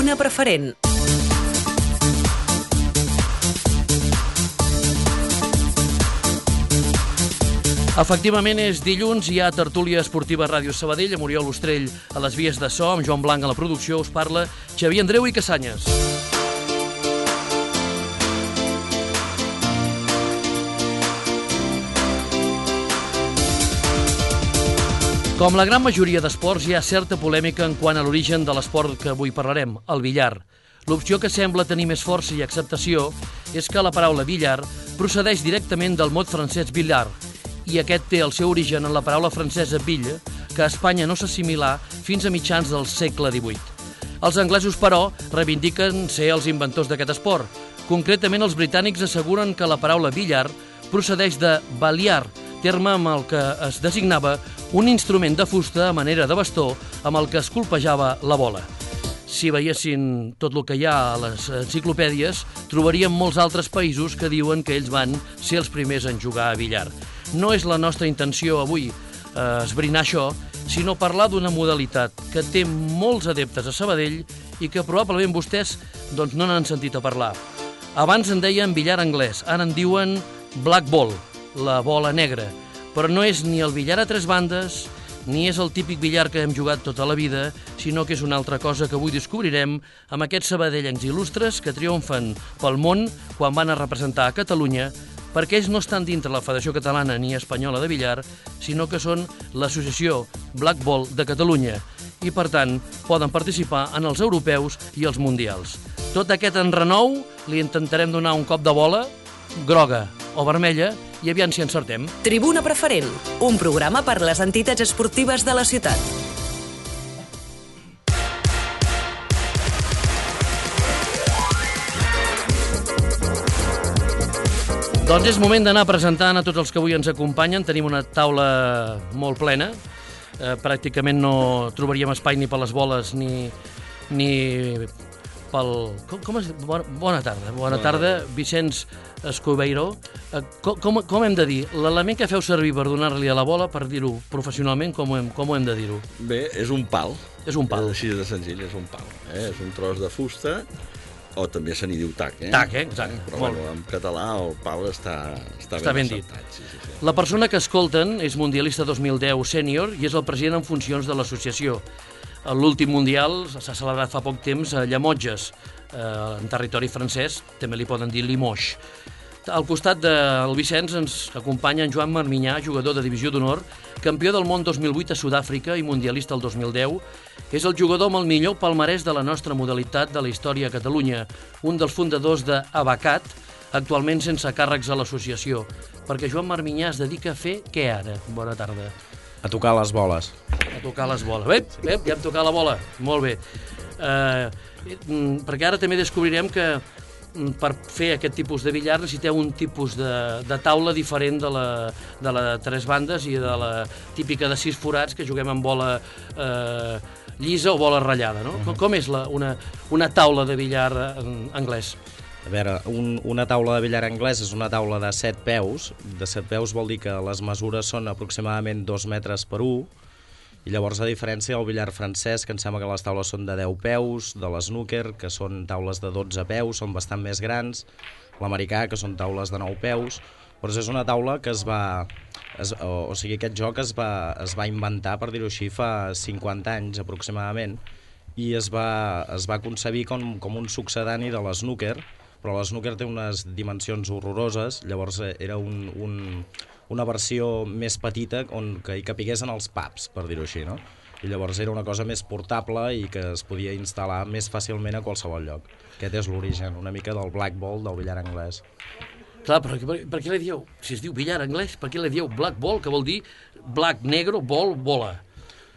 Tribuna Preferent. Efectivament, és dilluns, hi ha tertúlia esportiva a Ràdio Sabadell, amb Oriol Ostrell a les vies de so, amb Joan Blanc a la producció, us parla Xavier Andreu i Cassanyes. Com la gran majoria d'esports, hi ha certa polèmica en quant a l'origen de l'esport que avui parlarem, el billar. L'opció que sembla tenir més força i acceptació és que la paraula billar procedeix directament del mot francès billard, i aquest té el seu origen en la paraula francesa bille, que a Espanya no s'assimilà fins a mitjans del segle XVIII. Els anglesos, però, reivindiquen ser els inventors d'aquest esport. Concretament, els britànics asseguren que la paraula billar procedeix de baliar, terme amb el que es designava un instrument de fusta a manera de bastó amb el que es colpejava la bola. Si veiessin tot el que hi ha a les enciclopèdies, trobaríem molts altres països que diuen que ells van ser els primers en jugar a billar. No és la nostra intenció avui esbrinar això, sinó parlar d'una modalitat que té molts adeptes a Sabadell i que probablement vostès no n'han sentit a parlar. Abans en deien billar anglès, ara en diuen black ball, la bola negra, però no és ni el billar a tres bandes, ni és el típic billar que hem jugat tota la vida, sinó que és una altra cosa que avui descobrirem amb aquests sabadellencs il·lustres que triomfen pel món quan van a representar a Catalunya, perquè ells no estan dintre la Federació Catalana ni Espanyola de Billar, sinó que són l'Associació Black Ball de Catalunya i, per tant, poden participar en els europeus i els mundials. Tot aquest enrenou li intentarem donar un cop de bola, groga o vermella, i aviam si encertem. Tribuna Preferent, un programa per les entitats esportives de la ciutat. Doncs és moment d'anar presentant a tots els que avui ens acompanyen. Tenim una taula molt plena. Pràcticament no trobaríem espai ni per les boles ni pel... Bona tarda. Bona tarda, Vicenç Escobeiro. Com hem de dir? L'element que feu servir per donar-li a la bola, per dir-ho professionalment, com ho hem de dir-ho? Bé, és un pal. És un pal. Així de senzill, és un pal. És un tros de fusta, o també se n'hi diu tac. Tac, exacte. Però bueno, en català el pal està ben dit. Sí. La persona que escolten és mundialista 2010 sènior i és el president en funcions de l'associació. L'últim mundial s'ha celebrat fa poc temps a Llemotges, en territori francès, també li poden dir Limoges. Al costat del Vicenç ens acompanya en Joan Marminyà, jugador de divisió d'honor, campió del món 2008 a Sud-àfrica i mundialista el 2010. És el jugador amb el millor palmarès de la nostra modalitat de la història a Catalunya, un dels fundadors d'Abacat, actualment sense càrrecs a l'associació. Perquè Joan Marminyà es dedica a fer què ara? Bona tarda. A tocar les boles. A tocar les boles. Bé, ja hem tocat la bola. Molt bé. Perquè ara també descobrirem que per fer aquest tipus de billar necessiteu un tipus de taula diferent de la de tres bandes i de la típica de 6 forats que juguem amb bola llisa o bola ratllada, no? Com és una taula de billar anglès? A veure, una taula de billar anglès és una taula de 7 peus. De 7 peus vol dir que les mesures són aproximadament 2 metres per 1. I llavors, a diferència del billar francès, que em sembla que les taules són de 10 peus, de l'snooker, que són taules de 12 peus, són bastant més grans, l'americà, que són taules de 9 peus, però és una taula que aquest joc es va inventar, per dir-ho així, fa 50 anys aproximadament, i es va concebir com un succedani de l'snooker, però l'snooker té unes dimensions horroroses, llavors era una versió més petita que hi capigués en els pubs, per dir-ho així, no? I llavors era una cosa més portable i que es podia instal·lar més fàcilment a qualsevol lloc. Aquest és l'origen, una mica del black ball, del billar anglès. Clar, però per què li dieu, si es diu billar anglès, per què li dieu black ball, que vol dir black, negro, ball, bola?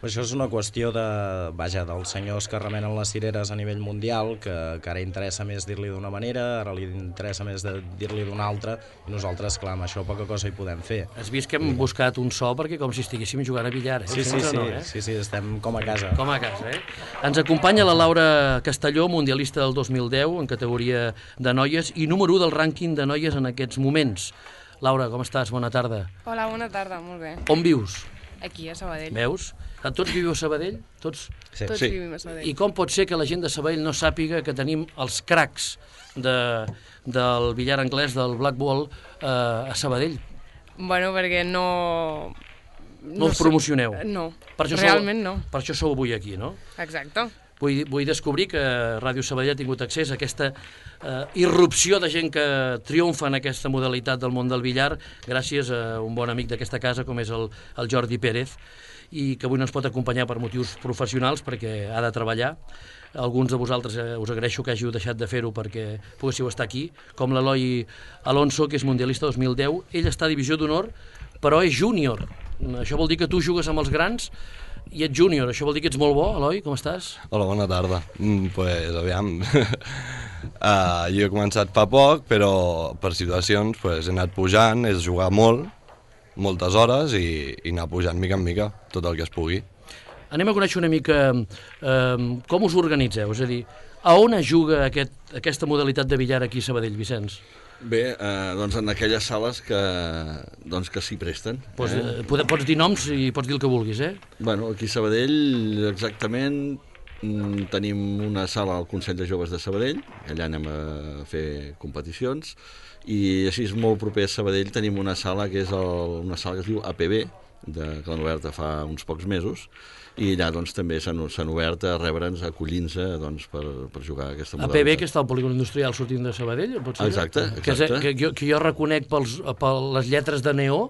Això és una qüestió dels senyors que remenen les cireres a nivell mundial, que ara interessa més dir-li d'una manera, ara li interessa més dir-li d'una altra, i nosaltres, clar, amb això poca cosa hi podem fer. Has vist que hem buscat un so perquè com si estiguéssim jugant a billar, eh? Sí, estem com a casa. Com a casa, eh? Ens acompanya la Laura Castelló, mundialista del 2010 en categoria de noies i número 1 del rànquing de noies en aquests moments. Laura, com estàs? Bona tarda. Hola, bona tarda, molt bé. On vius? Aquí, a Sabadell. Veus? Tots viviu a Sabadell? Tots? Sí. Tots vivim a Sabadell. I com pot ser que la gent de Sabadell no sàpiga que tenim els cracs del billar anglès, del Black Ball, a Sabadell? Bueno, perquè no... No us promocioneu? No, Per això realment no. Per això sou avui aquí, no? Exacte. Vull descobrir que Ràdio Sabadell ha tingut accés a aquesta irrupció de gent que triomfa en aquesta modalitat del món del billar gràcies a un bon amic d'aquesta casa com és el Jordi Pérez, i que avui no ens pot acompanyar per motius professionals perquè ha de treballar. Alguns de vosaltres us agraeixo que hàgiu deixat de fer-ho perquè poguéssiu estar aquí, com l'Eloi Alonso, que és mundialista 2010. Ell està a divisió d'honor, però és júnior. Això vol dir que tu jugues amb els grans i ets júnior. Això vol dir que ets molt bo, Eloi, com estàs? Hola, bona tarda. Pues, aviam, jo he començat fa poc, però per situacions he anat pujant, és jugar moltes hores i anar pujant mica en mica tot el que es pugui. Anem a conèixer una mica com us organitzeu, és a dir, a on es juga aquesta modalitat de billar aquí a Sabadell, Vicenç? Bé, doncs en aquelles sales que s'hi presten. Pots dir noms i pots dir el que vulguis, eh? Bueno, aquí a Sabadell, exactament, tenim una sala al Consell de Joves de Sabadell, allà anem a fer competicions, i així molt proper a Sabadell tenim una sala que és una sala que es diu APB, que l'han oberta fa uns pocs mesos, i allà doncs, també s'han obert a rebre'ns, acollint-se doncs, per jugar a aquesta modalitat. APB, que està al polígon industrial sortint de Sabadell? Exacte. Que jo reconec per les lletres de neó,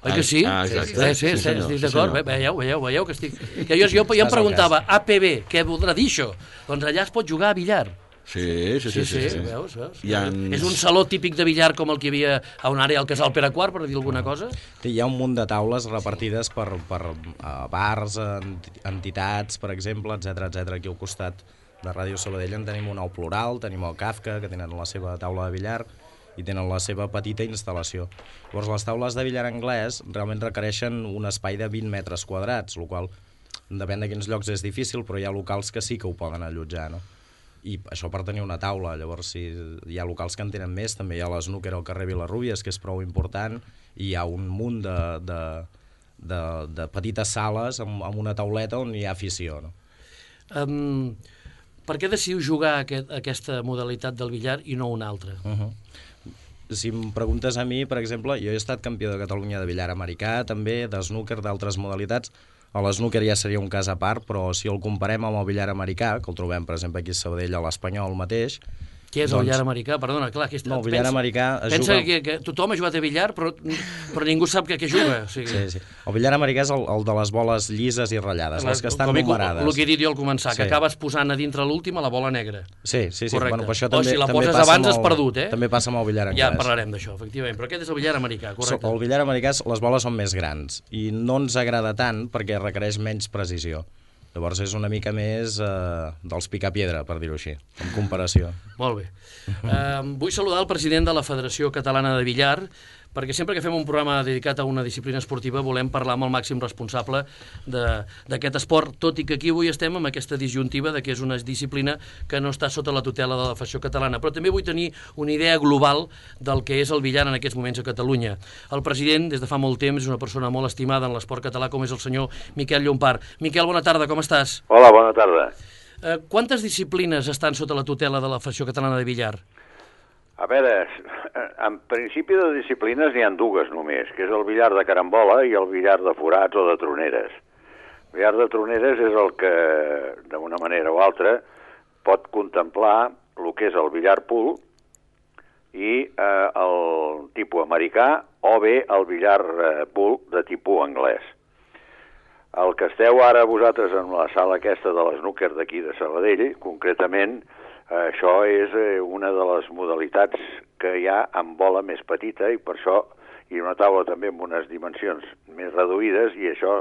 oi que sí? Exacte. Sí, estic d'acord. Veieu que estic... Jo em preguntava, APB, què voldrà dir això? Doncs allà es pot jugar a billar. Sí. Veus? És un saló típic de billar com el que hi havia a una àrea al Casal Pere IV, per dir alguna cosa? Hi ha un munt de taules repartides per bars, entitats, per exemple, etc. Aquí al costat de Ràdio Sabadell en tenim una al Plural, tenim el Kafka, que tenen la seva taula de billar i tenen la seva petita instal·lació. Llavors, les taules de billar anglès realment requereixen un espai de 20 metres quadrats, el qual, depèn de quins llocs, és difícil, però hi ha locals que sí que ho poden allotjar, no? I això per tenir una taula. Llavors, si hi ha locals que en tenen més, també hi ha l'Snooker al carrer Vilarrubies, que és prou important, i hi ha un munt de petites sales amb una tauleta on hi ha afició, no? Per què decidiu jugar aquesta modalitat del billar i no una altra? Si em preguntes a mi, per exemple, jo he estat campió de Catalunya de billar americà, també de snooker, d'altres modalitats. A l'snooker ja seria un cas a part, però si el comparem amb el billar americà, que el trobem, per exemple, aquí a Sabadell, a l'Espanyol mateix... Què és el billar americà? Perdona, clar, no, el billar americà es pensa juga... que tothom ha jugat a billar, però ningú sap què juga. O sigui... Sí. El billar americà és el de les boles llises i ratllades, les que estan numerades. El que he dit jo al començar, que acabes posant a dintre l'última la bola negra. Sí. Bueno, per això o si la poses abans has perdut, eh? També passa amb el billar anglès. Ja parlarem d'això, efectivament, però aquest és el billar americà, correcte. El billar americà, les boles són més grans i no ens agrada tant perquè requereix menys precisió. Llavors és una mica més dels picapiedra, per dir-ho així, en comparació. Molt bé. Vull saludar el president de la Federació Catalana de Billar, perquè sempre que fem un programa dedicat a una disciplina esportiva volem parlar amb el màxim responsable d'aquest esport, tot i que aquí avui estem amb aquesta disjuntiva de que és una disciplina que no està sota la tutela de la Federació Catalana. Però també vull tenir una idea global del que és el billar en aquests moments a Catalunya. El president, des de fa molt temps, és una persona molt estimada en l'esport català, com és el senyor Miquel Llompart. Miquel, bona tarda, com estàs? Hola, bona tarda. Quantes disciplines estan sota la tutela de la Federació Catalana de Billar? A veure, en principi de disciplines n'hi ha dues només, que és el billar de carambola i el billar de forats o de troneres. El billar de troneres és el que, d'una manera o altra, pot contemplar el que és el billar pool i el tipus americà o bé el billar pool de tipus anglès. El que esteu ara vosaltres en la sala aquesta de l'Snooker d'aquí de Sabadell, concretament, això és una de les modalitats que hi ha amb bola més petita i per això hi ha una taula també amb unes dimensions més reduïdes i això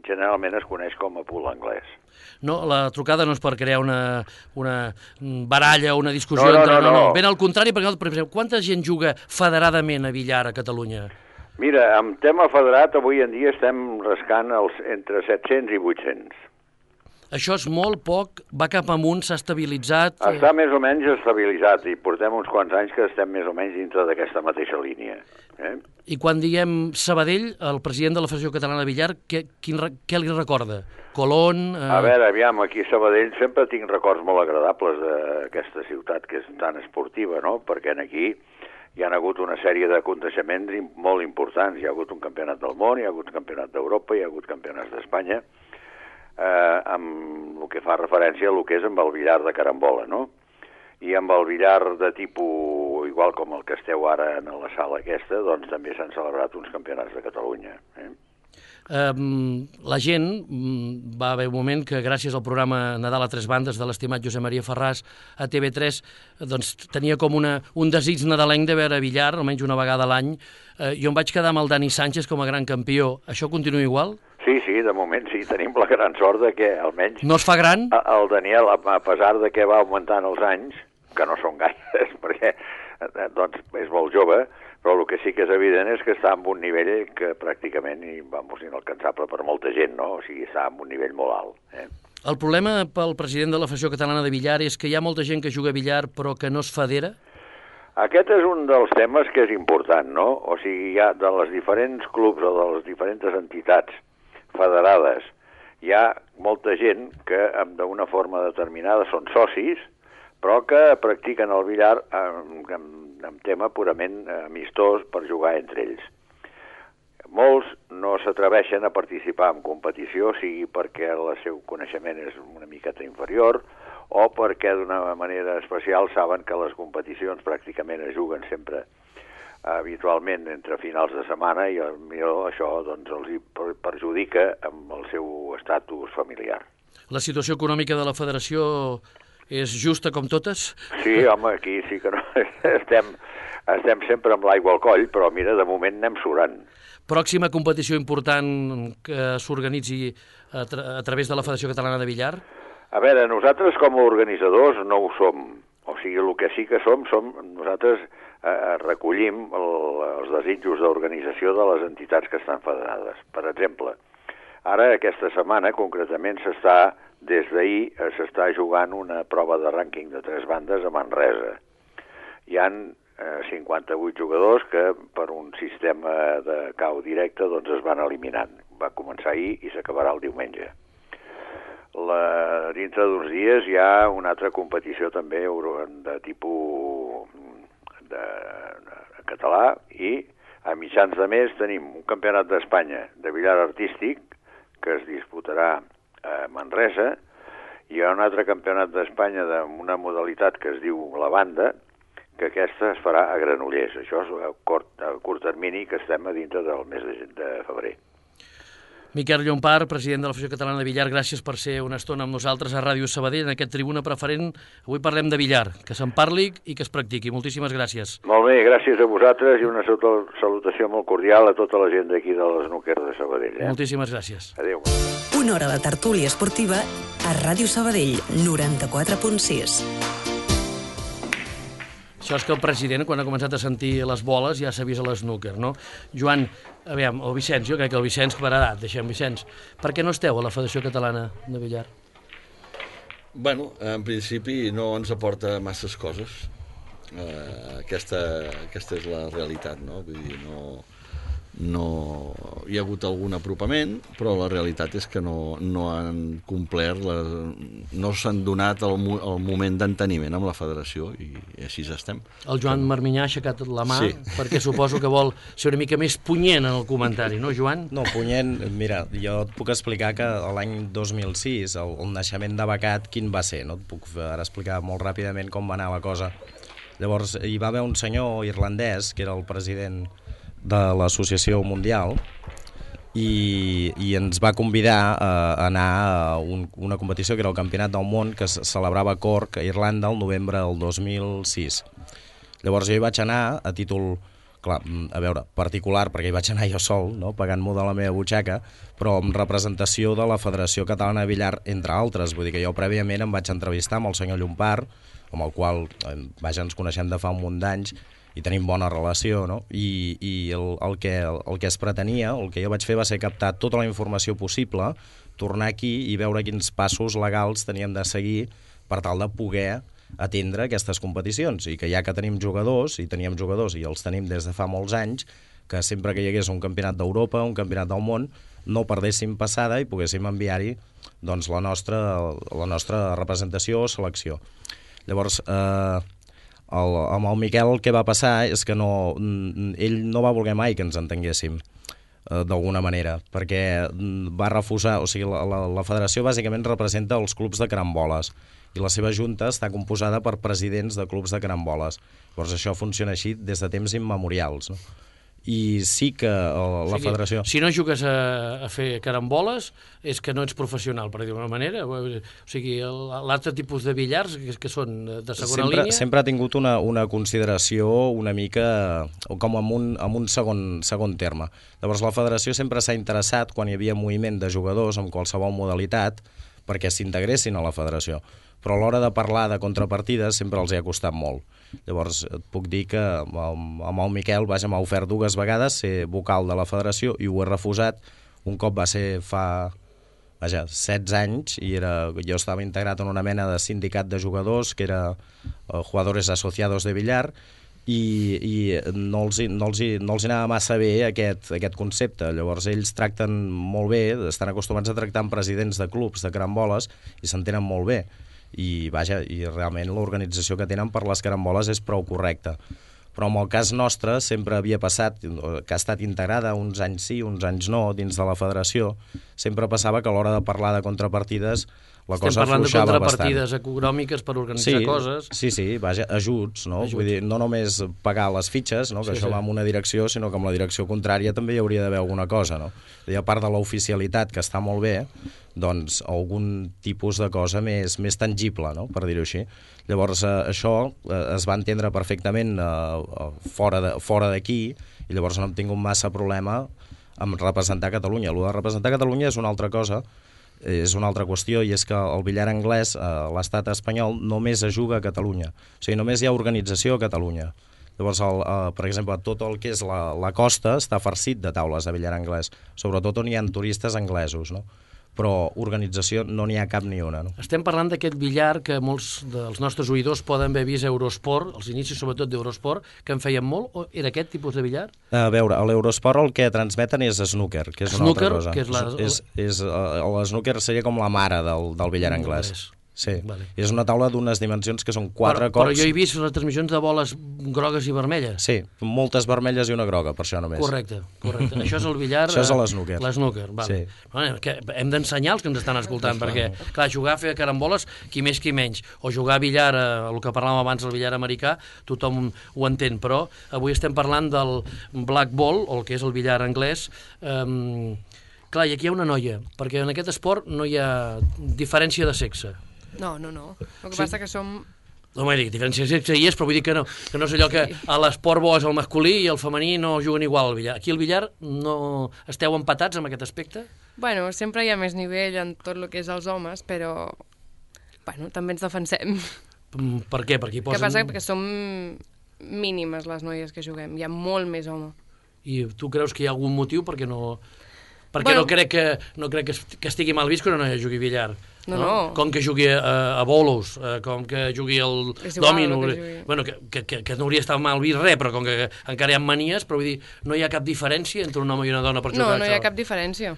generalment es coneix com a pool anglès. No, la trucada no és per crear una baralla o una discussió. No. Ben al contrari, perquè, per exemple, quanta gent juga federadament a billar a Catalunya? Mira, en tema federat avui en dia estem rascant entre 700 i 800. Això és molt poc, va cap amunt, s'ha estabilitzat... Està més o menys estabilitzat i portem uns quants anys que estem més o menys dintre d'aquesta mateixa línia. I quan diem Sabadell, el president de la Federació Catalana de Billar, què li recorda? Colón... A veure, aviam, aquí a Sabadell sempre tinc records molt agradables d'aquesta ciutat que és tan esportiva, no? Perquè aquí hi ha hagut una sèrie d'aconteixements molt importants. Hi ha hagut un campionat del món, hi ha hagut un campionat d'Europa, hi ha hagut campionats d'Espanya, amb el que fa referència a el que és amb el billar de carambola, no? I amb el billar de tipus, igual com el que esteu ara en la sala aquesta, doncs també s'han celebrat uns campionats de Catalunya. La gent, va haver un moment que gràcies al programa Nadal a tres bandes de l'estimat Josep Maria Ferràs a TV3, doncs tenia com un desig nadalenc de veure billar, almenys una vegada a l'any. Jo em vaig quedar amb el Dani Sánchez com a gran campió. Això continua igual? Sí, de moment sí, tenim la gran sort de que almenys... No es fa gran? El Daniel, a pesar de que va augmentant els anys, que no són gaires, perquè doncs, és molt jove, però el que sí que és evident és que està en un nivell que pràcticament inalcançable per molta gent, no? O sigui, està en un nivell molt alt. El problema pel president de la Federació Catalana de Billar és que hi ha molta gent que juga a billar però que no es federa? Aquest és un dels temes que és important, no? O sigui, hi ha de les diferents clubs o de les diferents entitats federades, hi ha molta gent que d'una forma determinada són socis, però que practiquen el billar en tema purament amistós per jugar entre ells. Molts no s'atreveixen a participar en competició, sigui perquè el seu coneixement és una miqueta inferior o perquè d'una manera especial saben que les competicions pràcticament es juguen sempre habitualment entre finals de setmana i millor això doncs, els perjudica amb el seu estatus familiar. La situació econòmica de la federació és justa com totes? Sí, home, aquí sí que no. Estem sempre amb l'aigua al coll, però mira, de moment anem surant. Pròxima competició important que s'organitzi a través de la Federació Catalana de Billar? A veure, nosaltres com a organitzadors no ho som. O sigui, el que sí que som nosaltres recollim els desitjos d'organització de les entitats que estan federades. Per exemple, ara aquesta setmana concretament des d'ahir s'està jugant una prova de rànquing de tres bandes a Manresa. Hi han 58 jugadors que per un sistema de cau directe doncs es van eliminant. Va començar ahir i s'acabarà el diumenge. Dintre d'uns dies hi ha una altra competició també de tipus de català i a mitjans de mes tenim un campionat d'Espanya de billar artístic que es disputarà a Manresa. Hi ha un altre campionat d'Espanya d'una modalitat que es diu la banda, que aquesta es farà a Granollers. Això és a curt termini, que estem a dintre del mes de febrer. Miquel Llompart, president de la Federació Catalana de Billar, gràcies per ser una estona amb nosaltres a Ràdio Sabadell, en aquest Tribuna Preferent. Avui parlem de billar, que se'n parli i que es practiqui. Moltíssimes gràcies. Molt bé, gràcies a vosaltres i una salutació molt cordial a tota la gent d'aquí de l'Snooker de Sabadell. Moltíssimes gràcies. Adéu. Una hora de tertúlia esportiva a Ràdio Sabadell, 94.6. Això és que el president, quan ha començat a sentir les boles, ja s'ha vist a l'Snooker, no? Joan, aviam, el Vicenç, jo crec que el Vicenç pararà, deixem Vicenç. Per què no esteu a la Federació Catalana de Billar? Bueno, en principi no ens aporta masses coses. Aquesta és la realitat, no? Vull dir, no hi ha hagut algun apropament, però la realitat és que no han complert, no s'han donat el moment d'enteniment amb la federació i així estem. El Joan Marminyà ha aixecat la mà, sí, perquè suposo que vol ser una mica més punyent en el comentari, no, Joan? No, punyent, mira, jo et puc explicar que l'any 2006 el naixement de Becat quin va ser, no? Et puc ara explicar molt ràpidament com va anar la cosa. Llavors hi va haver un senyor irlandès que era el president de l'Associació Mundial i ens va convidar a anar a una competició que era el Campionat del Món que es celebrava a Cork, a Irlanda, el novembre del 2006. Llavors jo hi vaig anar a títol, clar, a veure, particular, perquè hi vaig anar jo sol, no? Pagant-m'ho de la meva butxaca, però amb representació de la Federació Catalana de Billar, entre altres. Vull dir que jo prèviament em vaig entrevistar amb el senyor Llompart, amb el qual vaja, ens coneixem de fa un munt d'anys, i tenim bona relació, no? I el que es pretenia, el que jo vaig fer va ser captar tota la informació possible, tornar aquí i veure quins passos legals teníem de seguir per tal de poder atendre aquestes competicions, i que ja que tenim jugadors, i teníem jugadors i els tenim des de fa molts anys, que sempre que hi hagués un campionat d'Europa, un campionat del món, no perdéssim passada i poguéssim enviar-hi doncs, la nostra representació o selecció. Llavors, amb el Miquel el que va passar és que ell no va voler mai que ens entenguéssim d'alguna manera, perquè va refusar, o sigui, la federació bàsicament representa els clubs de caramboles i la seva junta està composada per presidents de clubs de caramboles. Llavors això funciona així des de temps immemorials, no? I sí que la federació... Si no jugues a fer caramboles és que no ets professional, per dir d'una manera. O sigui, l'altre tipus de billars que són de segona línia... Sempre ha tingut una consideració una mica com en un segon terme. Llavors la federació sempre s'ha interessat, quan hi havia moviment de jugadors amb qualsevol modalitat, perquè s'integressin a la federació. Però a l'hora de parlar de contrapartides sempre els hi ha costat molt. Llavors et puc dir que amb el Miquel m'ha ofert 2 vegades ser vocal de la federació i ho he refusat. Un cop va ser fa 16 anys i jo estava integrat en una mena de sindicat de jugadors que era Jugadores Asociados de Billar, i no els anava massa bé aquest concepte. Llavors ells tracten molt bé, estan acostumats a tractar amb presidents de clubs de caramboles i s'entenen molt bé, i realment l'organització que tenen per les caramboles és prou correcta. Però en el cas nostre sempre havia passat que ha estat integrada uns anys sí, uns anys no dins de la federació. Sempre passava que a l'hora de parlar de contrapartides la cosa afluixava bastant. Estem parlant de contrapartides econòmiques per organitzar coses. Sí, ajuts, no? Vull dir, no només pagar les fitxes, no? Que això va en una direcció, sinó que amb la direcció contrària també hi hauria d'haver alguna cosa, no? I a part de l'oficialitat, que està molt bé, doncs algun tipus de cosa més tangible, no? Per dir-ho així. Llavors això es va entendre perfectament fora d'aquí, i llavors no hem tingut massa problema amb representar Catalunya. El de representar Catalunya és una altra cosa, és una altra qüestió, i és que el billar anglès a l'estat espanyol només es juga a Catalunya. O sigui, només hi ha organització a Catalunya. Llavors, per exemple, tot el que és la costa està farcit de taules de billar anglès, sobretot on hi ha turistes anglesos, no? Però organització no n'hi ha cap ni una, no? Estem parlant d'aquest billar que molts dels nostres oïdors poden haver vist a Eurosport, els inicis sobretot d'Eurosport, que en feien molt, o era aquest tipus de billar? A veure, a l'Eurosport el que transmeten és snooker, que és una altra cosa. Que és el snooker seria com la mare del billar anglès. Sí, vale. És una taula d'unes dimensions que són 4 cops... Però jo he vist les transmissions de boles grogues i vermelles. Sí, moltes vermelles i una groga, per això només. Correcte. Això és el billar... Això és l'snooker. L'snooker, vale. Sí. Bueno, que hem d'ensenyar els que ens estan escoltant, perquè, clar, jugar a fer caramboles, qui més qui menys, o jugar a billar, el que parlàvem abans, el billar americà, tothom ho entén, però avui estem parlant del black ball, o el que és el billar anglès. Clar, i aquí hi ha una noia, perquè en aquest esport no hi ha diferència de sexe. No. El que passa que som... No m'he dit, diferència de sexe hi és, però vull dir que no és allò que a l'esport bo és el masculí i el femení no juguen igual al billar. Aquí al billar no esteu empatats amb aquest aspecte? Bueno, sempre hi ha més nivell en tot el que és els homes, però bueno, també ens defensem. Per què? Perquè hi posen... Què passa? Perquè som mínimes les noies que juguem, hi ha molt més home. I tu creus que hi ha algun motiu perquè no... Perquè no crec que estigui mal vist que una noia jugui billar. No. Com que jugui a bolos, com que jugui al dòmino. Bueno, que no hauria estat mal vist res, però com que encara hi ha manies, però vull dir, no hi ha cap diferència entre un home i una dona per jugar a això? No hi ha cap diferència.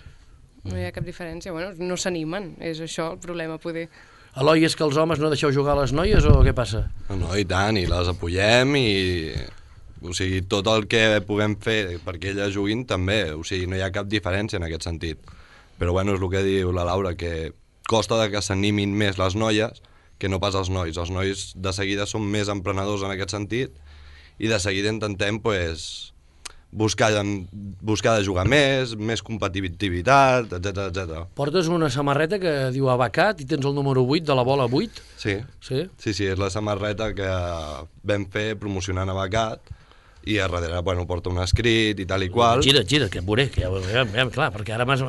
No hi ha cap diferència. Bueno, no s'animen, és això el problema, poder. Eloi, és que els homes no deixeu jugar a les noies o què passa? No, i tant, i les apoyem i... O sigui, tot el que puguem fer perquè elles juguin també, o sigui, no hi ha cap diferència en aquest sentit. Però bueno, és el que diu la Laura, que costa que s'animin més les noies que no pas els nois. Els nois de seguida són més emprenedors en aquest sentit i de seguida intentem pues, buscar de jugar més competitivitat, etc. Portes una samarreta que diu Abacat i tens el número 8 de la bola 8? Sí, és la samarreta que vam fer promocionant Abacat, i a darrere, bueno, porta un escrit i tal i qual. Gira't, que em veuré, que ja, clar, perquè ara m'has...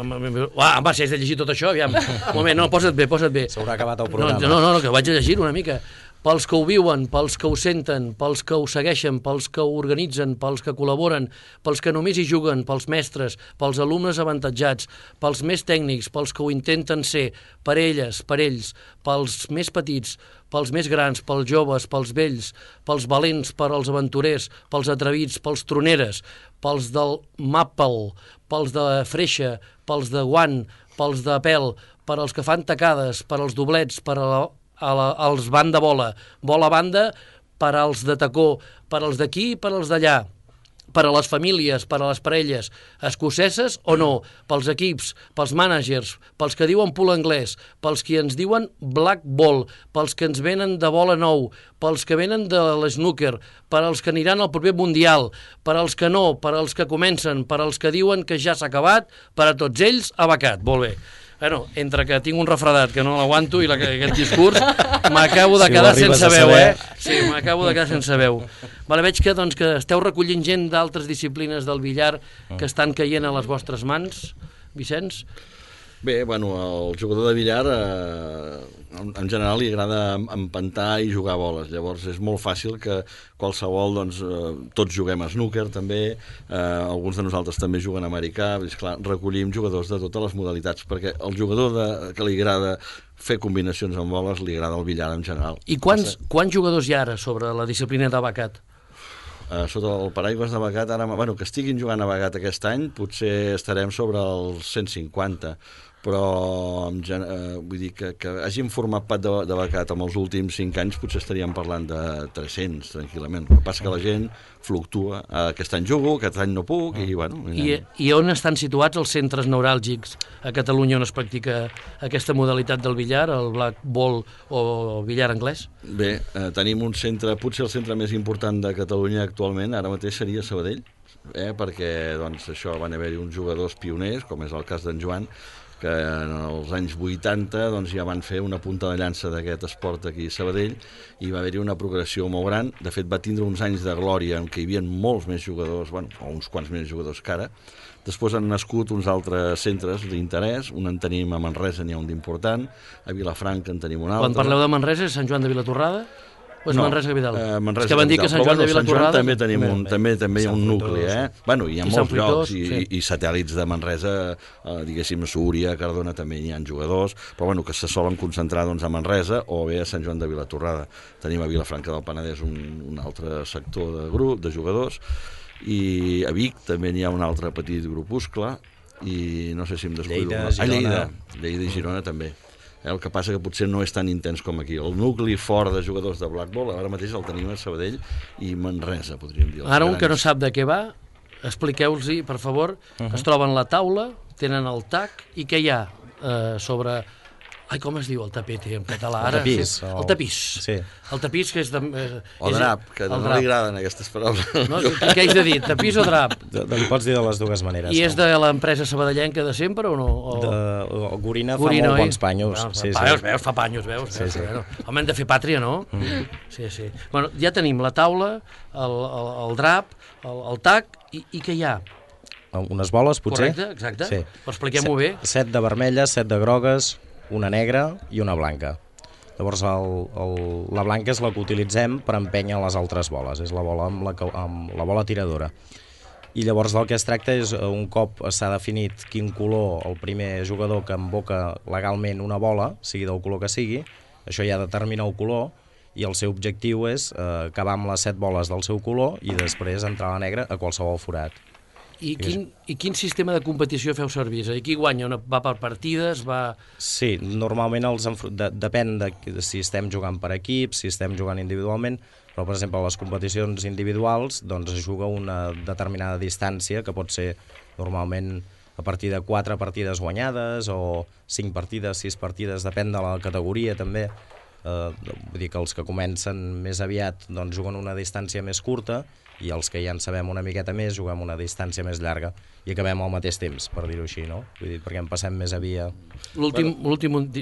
si has de llegir tot això, aviam. Un moment, no, posa't bé. S'haurà acabat el programa. No, que vaig a llegir una mica. pels que ho viuen, pels que ho senten, pels que ho segueixen, pels que ho organitzen, pels que col·laboren, pels que només hi juguen, pels mestres, pels alumnes avantatjats, pels més tècnics, pels que ho intenten ser, per elles, per ells, pels més petits, pels més grans, pels joves, pels vells, pels valents, per als aventurers, pels atrevits, pels troneres, pels del Maple, pels de Freixa, pels de Guant, pels de Pèl, per als que fan tacades, per als doblets, per als banda bola, bola banda, per als de tacó, per als d'aquí i per als d'allà, per a les famílies, per a les parelles, escoceses o no, pels equips, pels mànagers, pels que diuen pool anglès, pels que ens diuen black ball, pels que ens venen de bola nou, pels que venen de l'snooker, per als que aniran al proper mundial, per als que no, per als que comencen, per als que diuen que ja s'ha acabat, per a tots ells, abacat. Molt bé. Bueno, entre que tinc un refredat que no l'aguanto i aquest discurs, m'acabo de quedar sense veu, Sí, m'acabo de quedar sense veu. Vale, veig que, doncs, que esteu recollint gent d'altres disciplines del billar que estan caient a les vostres mans, Vicenç? Bé, bueno, al jugador de billar en general li agrada empantar i jugar boles, llavors és molt fàcil que qualsevol, doncs, tots juguem a snooker també, alguns de nosaltres també juguen a americà, és clar, recollim jugadors de totes les modalitats, perquè el jugador que li agrada fer combinacions amb boles li agrada el billar en general. I quants jugadors hi ha ara sobre la disciplina d'abacat? Sota el paraigües de Bagat, ara, bueno, que estiguin jugant a Bagat aquest any, potser estarem sobre els 150, però vull dir que hagin format part de Bagat en els últims 5 anys potser estaríem parlant de 300 tranquil·lament. El que passa que la gent fluctua, aquest any jugo, aquest any no puc i bueno... I on estan situats els centres neuràlgics a Catalunya on es practica aquesta modalitat del billar, el black ball o el billar anglès? Bé, tenim un centre, potser el centre més important de Catalunya actualment, ara mateix seria Sabadell, perquè doncs, això van haver-hi uns jugadors pioners, com és el cas d'en Joan, que en els anys 80 doncs, ja van fer una punta de llança d'aquest esport aquí a Sabadell i va haver-hi una progressió molt gran. De fet, va tindre uns anys de glòria en què hi havia molts més jugadors, bueno, o uns quants més jugadors que ara. Després han nascut uns altres centres d'interès, un en tenim a Manresa, n'hi ha un d'important, a Vilafranca en tenim un altre. Quan parleu de Manresa, és Sant Joan de Vilatorrada? O és Manresa Capital? Manresa és que van dir que Sant Joan de Vilatorrada... també tenim també hi ha un nucli, Bueno, hi ha molts llocs i satèl·lits de Manresa, diguéssim, a Súria, a Cardona també hi ha jugadors, però bueno, que se solen concentrar doncs, a Manresa o bé a Sant Joan de Vilatorrada. Tenim a Vilafranca del Penedès un altre sector de grup, de jugadors, i a Vic també n'hi ha un altre petit grupuscle, i no sé si em descuido... Lleida i Girona també. El que passa que potser no és tan intens com aquí. El nucli fort de jugadors de blackball ara mateix el tenim a Sabadell i Manresa, podríem dir. Ara un que no sap de què va, expliqueu-los-hi, per favor, que es troben la taula, tenen el tac, i què hi ha sobre... Ai, com es diu el tapete en català? El tapís. El tapís. Sí. El tapís que és... O drap, que no li agraden aquestes paraules. No? Què haig de dir? Tapís o drap? Li pots dir de les dues maneres. I és de l'empresa sabadellenca de sempre o no? Gorina fa molt bons panyos. Veus, fa panyos, veus? Home, hem de fer pàtria, no? Sí. Bueno, ja tenim la taula, el drap, el tac, i què hi ha? Unes boles, potser? Correcte, exacte. Sí. Expliquem-ho bé. 7 de vermelles, 7 de grogues, una negra i una blanca. Llavors la blanca és la que utilitzem per empènyer les altres boles, és la bola amb la bola tiradora. I llavors del que es tracta és, un cop s'ha definit quin color el primer jugador que emboca legalment una bola, sigui del color que sigui, això ja determina el color i el seu objectiu és acabar amb les 7 boles del seu color i després entrar a la negra a qualsevol forat. I quin sistema de competició feu servir? És a dir, qui guanya? Va per partides? Sí, normalment depèn de si estem jugant per equips, si estem jugant individualment, però per exemple a les competicions individuals doncs es juga una determinada distància que pot ser normalment a partir de 4 partides guanyades o 5 partides, 6 partides, depèn de la categoria també. Vull dir que els que comencen més aviat doncs juguen una distància més curta i els que ja en sabem una miqueta més juguem una distància més llarga i acabem al mateix temps, per dir-ho així, no? Vull dir, perquè en passem més a via... L'últim...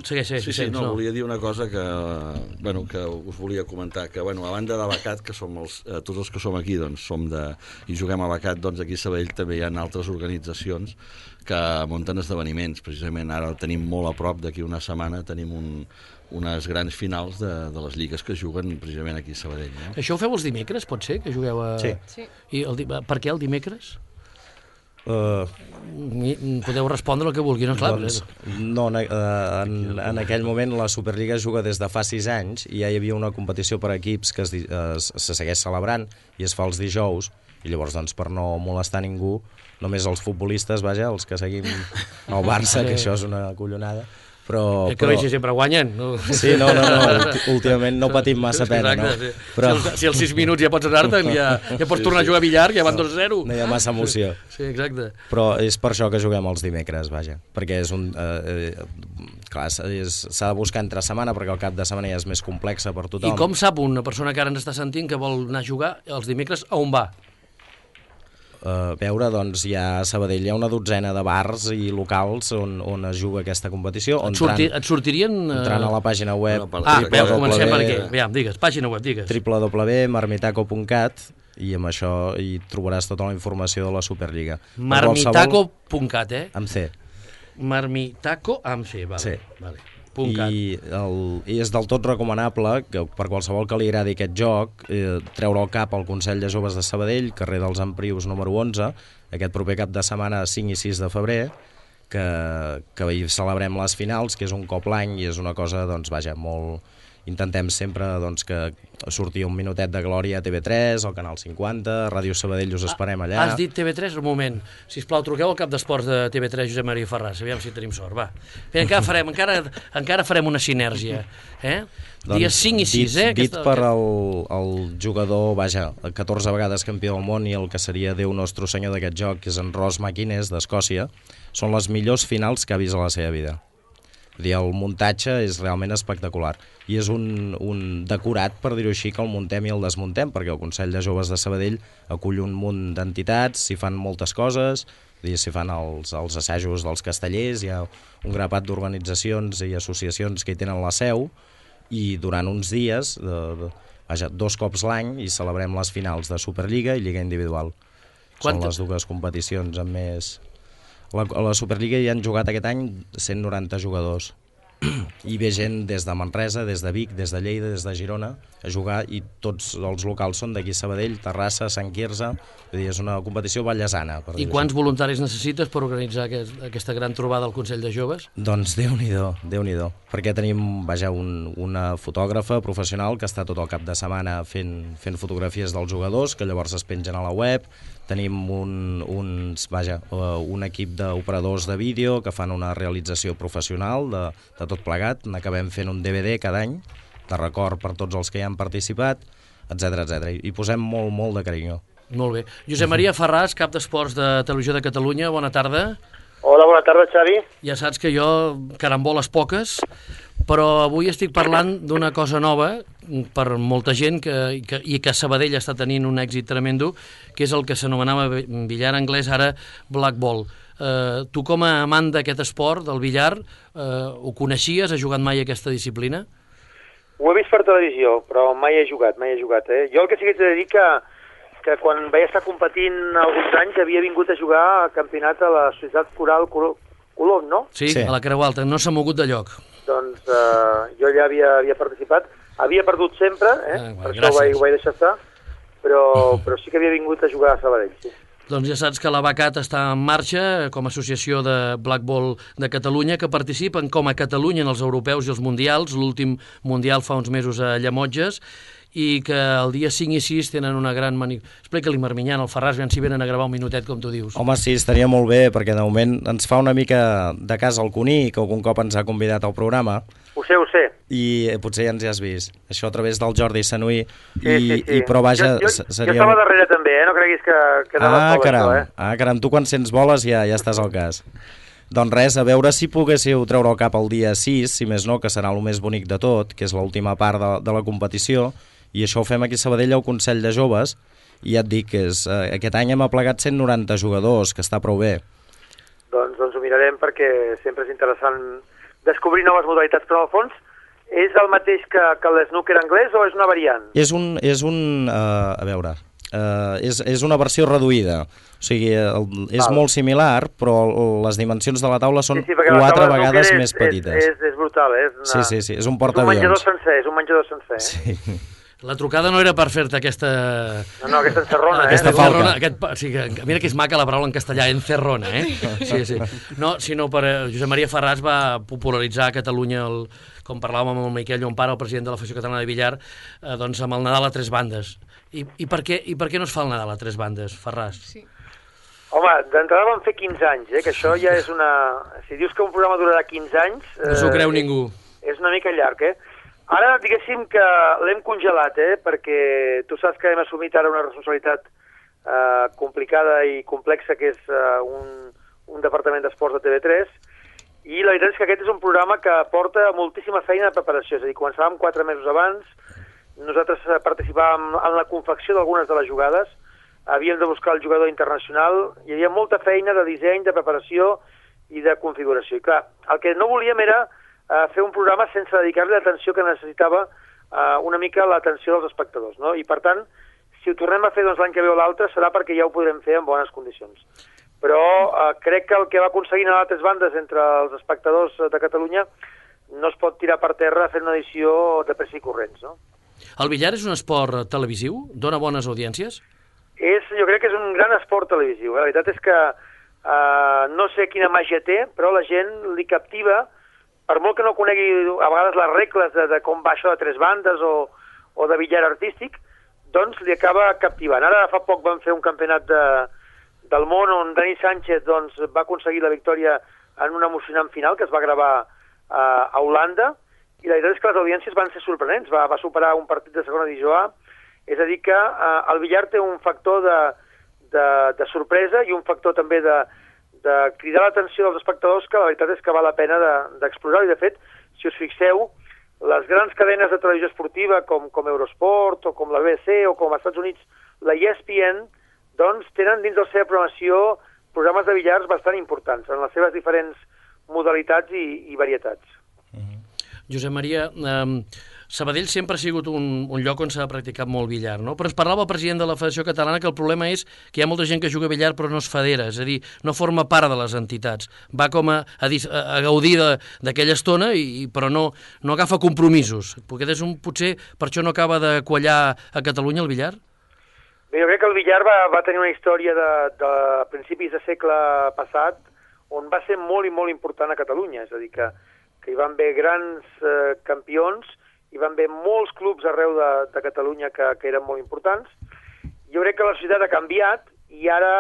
Segueix. Sí, no, volia dir una cosa que us volia comentar, que a banda de Bacat, que som tots els que som aquí, doncs, i juguem a Bacat, doncs aquí a Sabadell també hi ha altres organitzacions que munten esdeveniments. Precisament ara el tenim molt a prop, d'aquí una setmana tenim unes grans finals de les lligues que juguen precisament aquí a Sabadell. No? Això ho feu els dimecres, pot ser, que jugueu a... Sí. I per què el dimecres? Podeu respondre el que vulgui, no? Clar, Doncs, no, en aquell moment la Superliga juga des de fa 6 anys i ja hi havia una competició per equips que se segueix celebrant i es fa els dijous, i llavors, doncs, per no molestar ningú, només els futbolistes, vaja, els que seguim el Barça, que això és una collonada, però... Que vegi sempre guanyen. No? Sí, no, últimament no patim massa pena, no? Però... Si als 6 minuts ja pots anar-te'n, ja pots tornar a jugar a billar, ja van 2-0. No hi ha massa emoció. Sí, exacte. Però és per això que juguem els dimecres, vaja, perquè és un... clar, s'ha de buscar entre setmana, perquè el cap de setmana ja és més complexa per tothom. I com sap una persona que ara ens està sentint que vol anar a jugar els dimecres, a on va? Veure, doncs, a Sabadell hi ha una dotzena de bars i locals on es juga aquesta competició. Et sortirien... Entrant a la pàgina web... Veus, comencem per aquí. Aviam, digues, pàgina web, digues. www.marmitaco.cat i amb això hi trobaràs tota la informació de la Superliga. Marmitaco.cat, Amb C. Marmitaco amb C, vale. Sí. Vale. I és del tot recomanable que per qualsevol que li agradi aquest joc treure el cap al Consell de Joves de Sabadell, carrer dels Emprius número 11, aquest proper cap de setmana 5 i 6 de febrer, que hi celebrem les finals, que és un cop l'any i és una cosa, doncs, vaja, molt... Intentem sempre, doncs, que surti un minutet de glòria a TV3, al Canal 50, a Ràdio Sabadell us esperem allà. Has dit TV3? Un moment. Sisplau, truqueu al cap d'esports de TV3, Josep Maria Ferràs, aviam si tenim sort, va. Bé, encara farem una sinergia, Doncs, dies 5 i 6, dit per el jugador, vaja, 14 vegades campió del món i el que seria Déu nostre senyor d'aquest joc, que és en Ross McInnes, d'Escòcia, són les millors finals que ha vist a la seva vida. Vull dir, el muntatge és realment espectacular i és un decorat, per dir-ho així, que el muntem i el desmuntem, perquè el Consell de Joves de Sabadell acull un munt d'entitats, s'hi fan moltes coses, s'hi fan els assajos dels castellers, hi ha un grapat d'organitzacions i associacions que hi tenen la seu, i durant uns dies, vaja, 2 cops l'any, hi celebrem les finals de Superliga i Lliga Individual. Són les dues competicions amb més... A la Superliga hi han jugat aquest any 190 jugadors i ve gent des de Manresa, des de Vic, des de Lleida, des de Girona a jugar, i tots els locals són d'aquí Sabadell, Terrassa, Sant Quirze. Vull dir, és una competició ballesana. I quants voluntaris necessites per organitzar aquesta gran trobada al Consell de Joves? Doncs Déu-n'hi-do, perquè tenim, vaja, una fotògrafa professional que està tot el cap de setmana fent fotografies dels jugadors, que llavors es pengen a la web. Tenim un equip d'operadors de vídeo que fan una realització professional de tot plegat. N'acabem fent un DVD cada any, de record per tots els que hi han participat, etc. I posem molt de carinyo. Molt bé. Josep Maria Ferràs, cap d'Esports de Televisió de Catalunya, bona tarda. Hola, bona tarda, Xavi. Ja saps que jo, caramboles poques, però avui estic parlant d'una cosa nova per molta gent i que Sabadell està tenint un èxit tremendo, que és el que s'anomenava billar anglès, ara blackball. Tu, com a amant d'aquest esport, del billar, ho coneixies? Has jugat mai aquesta disciplina? Ho he vist per televisió, però mai he jugat. Jo el que sí que t'he de dir que quan vaig estar competint alguns anys havia vingut a jugar a campionat a la Societat Coral Colom, no? Sí, a la Creu Alta, no s'ha mogut de lloc. Doncs jo ja havia participat, havia perdut sempre, per això ho vaig deixar estar, però sí que havia vingut a jugar a Sabadell, sí. Doncs ja saps que la BACAT està en marxa com a associació de Blackball de Catalunya, que participen com a Catalunya en els europeus i els mundials, l'últim mundial fa uns mesos a Llemotges, i que el dia 5 i 6 tenen una gran Explica-li, Marminyà, al Ferràs, si venen a gravar un minutet, com tu dius. Home, sí, estaria molt bé, perquè de moment ens fa una mica de cas al Cuní, que algun cop ens ha convidat al programa. Ho sé. I potser ja ens hi has vist. Això a través del Jordi Sanuí. Sí. Però vaja, jo seria... estava darrere també, no creguis que no caram, tu quan sents boles ja estàs al cas. Doncs res, a veure si poguéssiu treure el cap el dia 6, si més no, que serà el més bonic de tot, que és l'última part de la competició, i això ho fem aquí a Sabadell al Consell de Joves, i ja et dic que aquest any hem aplegat 190 jugadors, que està prou bé. Doncs ho mirarem, perquè sempre és interessant descobrir noves modalitats, però al fons és el mateix que l'snooker anglès o és una variant? És un a veure, és una versió reduïda. O sigui, és molt similar, però les dimensions de la taula són 4 vegades més petites. És brutal, Sí, és un portaavions. És un menjador sencer. Sí. La trucada no era per fer-te aquesta... No, aquesta encerrona, Aquesta falca. Mira que és maca la paraula en castellà, encerrona, Sí. No, sinó per... Josep Maria Ferràs va popularitzar a Catalunya, com parlàvem amb el Miquel Llompara, el president de la Federació Catalana de Billar, doncs amb el Nadal a 3 bandes. I per què no es fa el Nadal a 3 bandes, Ferràs? Sí. Home, d'entrada vam fer 15 anys, que això ja és una... Si dius que un programa durarà 15 anys... No s'ho creu ningú. És una mica llarg, Ara, diguéssim que l'hem congelat, perquè tu saps que hem assumit ara una responsabilitat complicada i complexa, que és un departament d'esports de TV3, i la veritat és que aquest és un programa que porta moltíssima feina de preparació, és a dir, començàvem 4 mesos abans, nosaltres participàvem en la confecció d'algunes de les jugades, havíem de buscar el jugador internacional, hi havia molta feina de disseny, de preparació i de configuració. I clar, el que no volíem era fer un programa sense dedicar-li l'atenció que necessitava una mica l'atenció dels espectadors, no? I per tant, si ho tornem a fer l'any que ve o l'altre serà perquè ja ho podrem fer en bones condicions. Però crec que el que va aconseguint a les 3 bandes entre els espectadors de Catalunya no es pot tirar per terra fent una edició de pressa i corrents, no? El billar és un esport televisiu? Dona bones audiències? Jo crec que és un gran esport televisiu. La veritat és que no sé quina màgia té, però la gent li captiva, per molt que no conegui a vegades les regles de com va això de 3 bandes o de billar artístic, doncs li acaba captivant. Ara fa poc vam fer un campionat del món on Dani Sánchez va aconseguir la victòria en un emocionant final que es va gravar a Holanda, i la veritat és que les audiències van ser sorprenents, va superar un partit de segona divisió A, és a dir que el billar té un factor de sorpresa i un factor també de cridar l'atenció dels espectadors que la veritat és que val la pena d'explorar. I de fet, si us fixeu, les grans cadenes de televisió esportiva com Eurosport o com la BBC o com als Estats Units, la ESPN, doncs tenen dins de la seva programació programes de billars bastant importants en les seves diferents modalitats i varietats. Josep Maria, Sabadell sempre ha sigut un lloc on s'ha practicat molt billar, no? Però ens parlava el president de la Federació Catalana que el problema és que hi ha molta gent que juga a billar però no es federa, és a dir, no forma part de les entitats. Va com a gaudir d'aquella estona, però no agafa compromisos. Potser per això no acaba de quallar a Catalunya el billar? Bé, jo crec que el billar va tenir una història de principis de segle passat on va ser molt i molt important a Catalunya, és a dir, que hi van haver grans campions, hi van haver molts clubs arreu de Catalunya que eren molt importants. Jo crec que la societat ha canviat i ara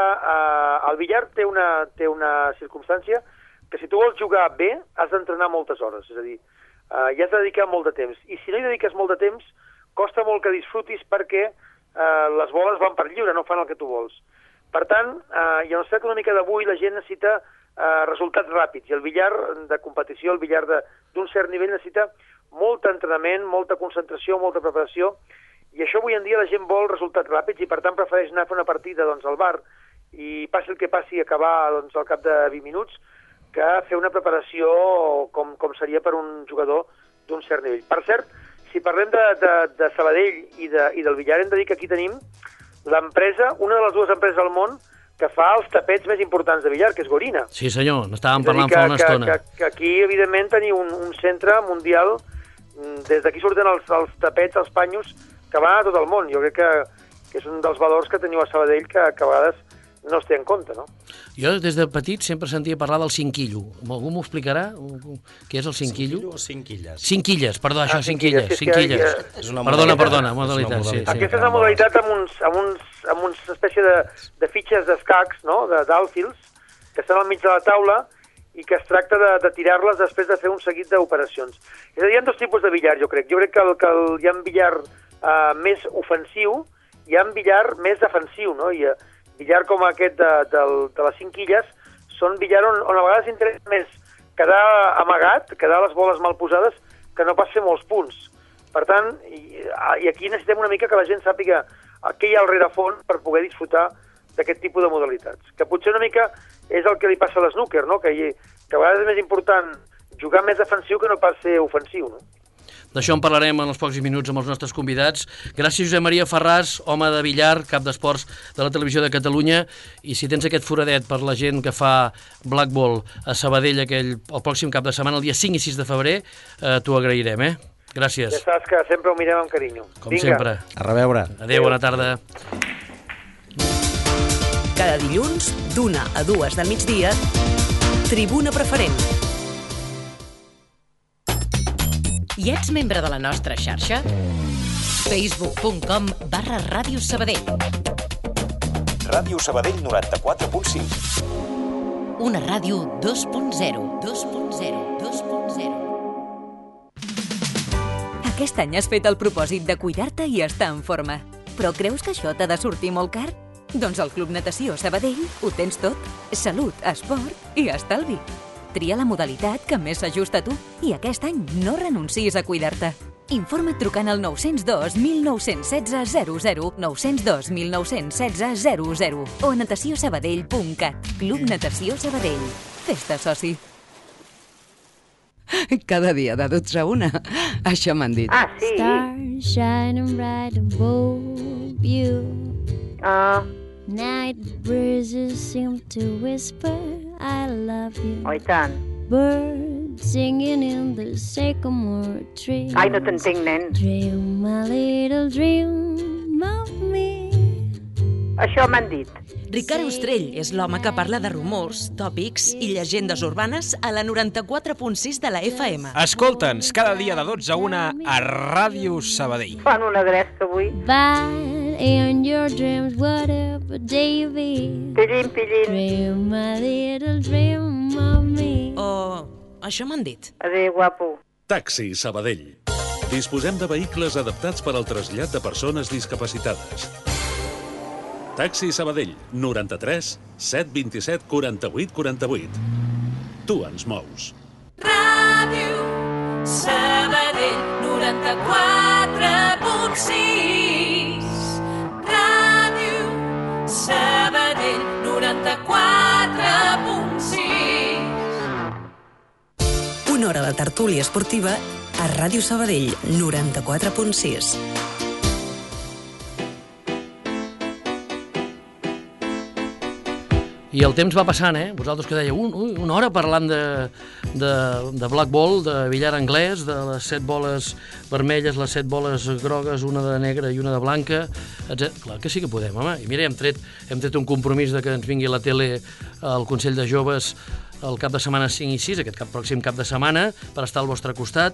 el billar té una circumstància que si tu vols jugar bé has d'entrenar moltes hores, és a dir, hi has de dedicar molt de temps. I si no hi dediques molt de temps, costa molt que disfrutis perquè les boles van per lliure, no fan el que tu vols. Per tant, i en la societat econòmica d'avui la gent necessita resultats ràpids, i el billar de competició, el billar d'un cert nivell necessita molt entrenament, molta concentració, molta preparació, i això avui en dia la gent vol resultats ràpids i per tant prefereix anar a fer una partida al bar i passi el que passi acabar al cap de 20 minuts que fer una preparació com seria per un jugador d'un cert nivell. Per cert, si parlem de Sabadell i del billar, hem de dir que aquí tenim l'empresa, una de les 2 empreses del món que fa els tapets més importants de billar, que és Gorina. Sí senyor, n'estàvem parlant fa una estona. Que aquí, evidentment, tenim un centre mundial, des d'aquí surten els tapets, els panyos, que van a tot el món. Jo crec que és un dels valors que teniu a Sabadell que a vegades no es té en compte, no? Jo des de petit sempre sentia parlar del cinquillo. Algú m'ho explicarà? Què és el cinquillo? Cinquillo o cinquilles? Cinquilles, perdó, això, cinquilles. Perdona, modalitat. Sí. Aquesta és una modalitat amb una espècie de fitxes d'escacs, no?, d'alfils, que estan al mig de la taula i que es tracta de tirar-les després de fer un seguit d'operacions. És a dir, hi ha 2 tipus de billar, jo crec. Jo crec que hi ha un billar més ofensiu i hi ha un billar més defensiu, no? I billar com aquest de les cinquilles són billar on a vegades interessa més quedar amagat, quedar les boles mal posades, que no pas fer molts punts. Per tant, i aquí necessitem una mica que la gent sàpiga què hi ha al rerefons per poder disfrutar d'aquest tipus de modalitats. Que potser una mica és el que li passa a l'snooker, no? Que a vegades és més important jugar més defensiu que no pas ser ofensiu, no? D'això en parlarem en els pocs minuts amb els nostres convidats. Gràcies, Josep Maria Ferràs, home de Villar, cap d'esports de la Televisió de Catalunya, i si tens aquest foradet per la gent que fa Blackball a Sabadell el pròxim cap de setmana, el dia 5 i 6 de febrer, t'ho agrairem, Gràcies. Ja saps que sempre ho mirem amb carinyo. Com sempre. A reveure. Adéu, bona tarda. Cada dilluns, d'1 a 2 del migdia, Tribuna Preferent. I ets membre de la nostra xarxa? facebook.com/Ràdio Sabadell. Ràdio Sabadell 94.6. Una ràdio 2.0. 2.0. 2.0. Aquest any has fet el propòsit de cuidar-te i estar en forma. Però creus que això t'ha de sortir molt car? Doncs al Club Natació Sabadell ho tens tot. Salut, esport i estalvi. Tria la modalitat que més s'ajusta a tu i aquest any no renuncis a cuidar-te. Informa't trucant al 902 1916 00, 902 1916 00 o a natatiosabadell.cat. Club Natació Sabadell. Fes-te soci. Cada dia de 12 a 1. Això m'han dit. Ah, sí? Stars shining bright above you. Night breezes seem to whisper I love you. Oh, i tant. Birds singing in the sycamore tree. Ai, no t'entenc, nen. Dream a little dream of me. Això m'han dit. Ricard Ostrell és l'home que parla de rumors, tòpics i llegendes urbanes a la 94.6 de la FM. Escolta'ns cada dia de 12 a 1 a Ràdio Sabadell. Fan una gresca avui. But in your dreams, whatever day be. Pillín, pillín. Dream a little dream of me. Oh, això m'han dit. Adéu, guapo. Taxi Sabadell. Disposem de vehicles adaptats per al trasllat de persones discapacitades. Taxi Sabadell, 93 727 48 48. Tu ens mous. Ràdio Sabadell, 94.6. Ràdio Sabadell, 94.6. Una hora de tertúlia esportiva a Ràdio Sabadell, 94.6. I el temps va passant, Vosaltres que dèieu, una hora parlant de Blackball, de billar anglès, de les 7 boles vermelles, les 7 boles grogues, una de negra i una de blanca, etc. Clar que sí que podem, home. I mira, hem tret un compromís de que ens vingui a la tele el Consell de Joves el cap de setmana 5 i 6, aquest pròxim cap de setmana, per estar al vostre costat.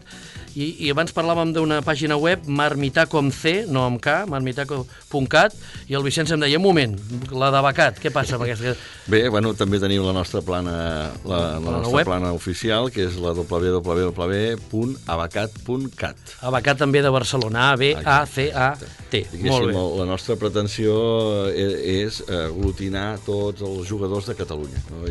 I abans parlàvem d'una pàgina web, Marmitaco amb C, no amb K, marmitaco.cat, i el Vicenç em deia, un moment, la d'Abacat, què passa amb aquesta? Bé, bueno, també tenim la nostra plana, la nostra plana oficial, que és la www.abacat.cat. Abacat també de Barcelona, A-B-A-C-A-T. Molt bé. La nostra pretensió és aglutinar tots els jugadors de Catalunya, no?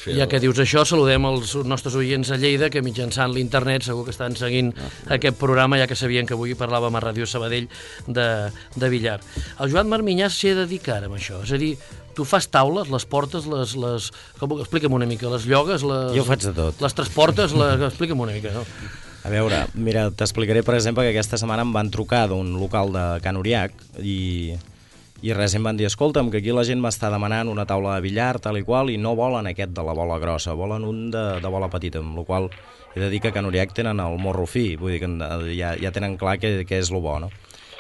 Ja que dius això, saludem els nostres oients a Lleida, que mitjançant l'internet segur que estan seguint aquest programa, ja que sabien que avui parlàvem a Ràdio Sabadell de billar. El Joan Marminyà s'hi ha dedicat amb això, és a dir, tu fas taules, les portes, explica'm una mica, les llogues, jo faig de tot. Les transportes, explica'm una mica, no? A veure, mira, t'explicaré, per exemple, que aquesta setmana em van trucar d'un local de Can Uriac i res, em van dir, escolta'm, que aquí la gent m'està demanant una taula de billar, tal i qual, i no volen aquest de la bola grossa, volen un de bola petita, amb la qual he de dir que a Can Uriac tenen el morro fi, vull dir que ja tenen clar què és el bo, no?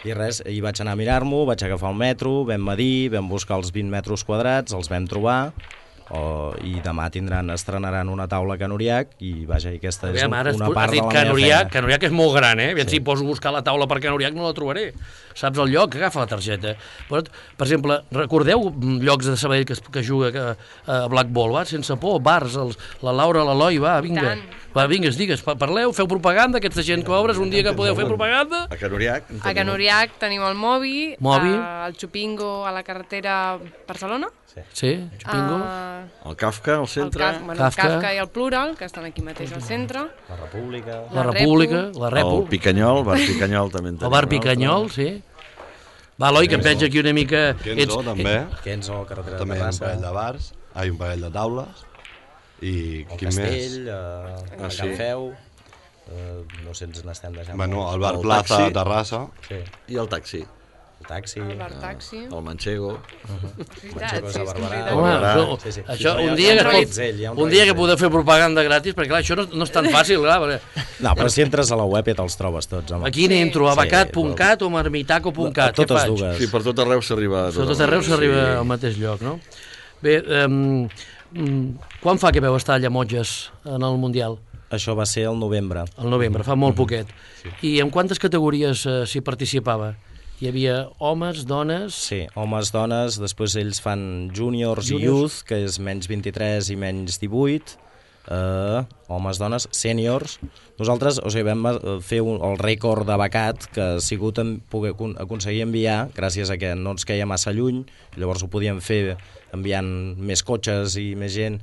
I res, hi vaig anar a mirar-m'ho, vaig agafar el metro, vam medir, vam buscar els 20 metres quadrats, els vam trobar, i demà estrenaran una taula a Can Uriac i vaja, aquesta és una part de la meva feina. Can Uriac és molt gran, si poso a buscar la taula per Can Uriac no la trobaré. Saps el lloc? Agafa la targeta. Però, per exemple, recordeu llocs de Sabadell que juga a Blackball, va? Sense por, bars, la Laura, l'Eloi, va, vinga. Va, vinga, digues, parleu, feu propaganda, aquesta gent que obres un dia que podeu fer propaganda. A Can Uriac. A Can Uriac tenim el Movi, el Chupingo a la carretera Barcelona. Sí, Chupingo. El Kafka, al centre. El Kafka i el Plural, que estan aquí mateix al centre. La República. La Repu. El Picanyol, Bar Picanyol també en tenim. El Bar Picanyol, sí. Va, Eloi, que em veig aquí una mica... Kenzo, també. Kenzo, carretera de Terrassa. També hi ha un parell de bars, un parell de taules. I el Castell, el Can Feu... No sé, ens n'estem deixant... Bueno, el Bar Plaza, a Terrassa. Sí. I el taxi. El bar taxi. El Manchego. Manchego és a Barberà. Home, això, un dia que podeu fer propaganda gratis, perquè clar, això no és tan fàcil, clar. Perquè... No, però si entres a la web ja te'ls trobes tots, home. Aquí n'entro, abacat.cat o marmitaco.cat. Totes dues. Sí, per tot arreu s'arriba... Per tot arreu s'arriba al mateix lloc, no? Bé, quan fa que veu estar a Llemotges en el Mundial? Això va ser el novembre. El novembre, fa molt poquet. I en quantes categories s'hi participava? Hi havia homes, dones... Sí, homes, dones, després ells fan juniors i youth, que és menys 23 i menys 18, homes, dones, sèniors. Nosaltres, vam fer el rècord de becat, que ha sigut poder aconseguir enviar, gràcies a que no ens queia massa lluny, llavors ho podíem fer enviant més cotxes i més gent,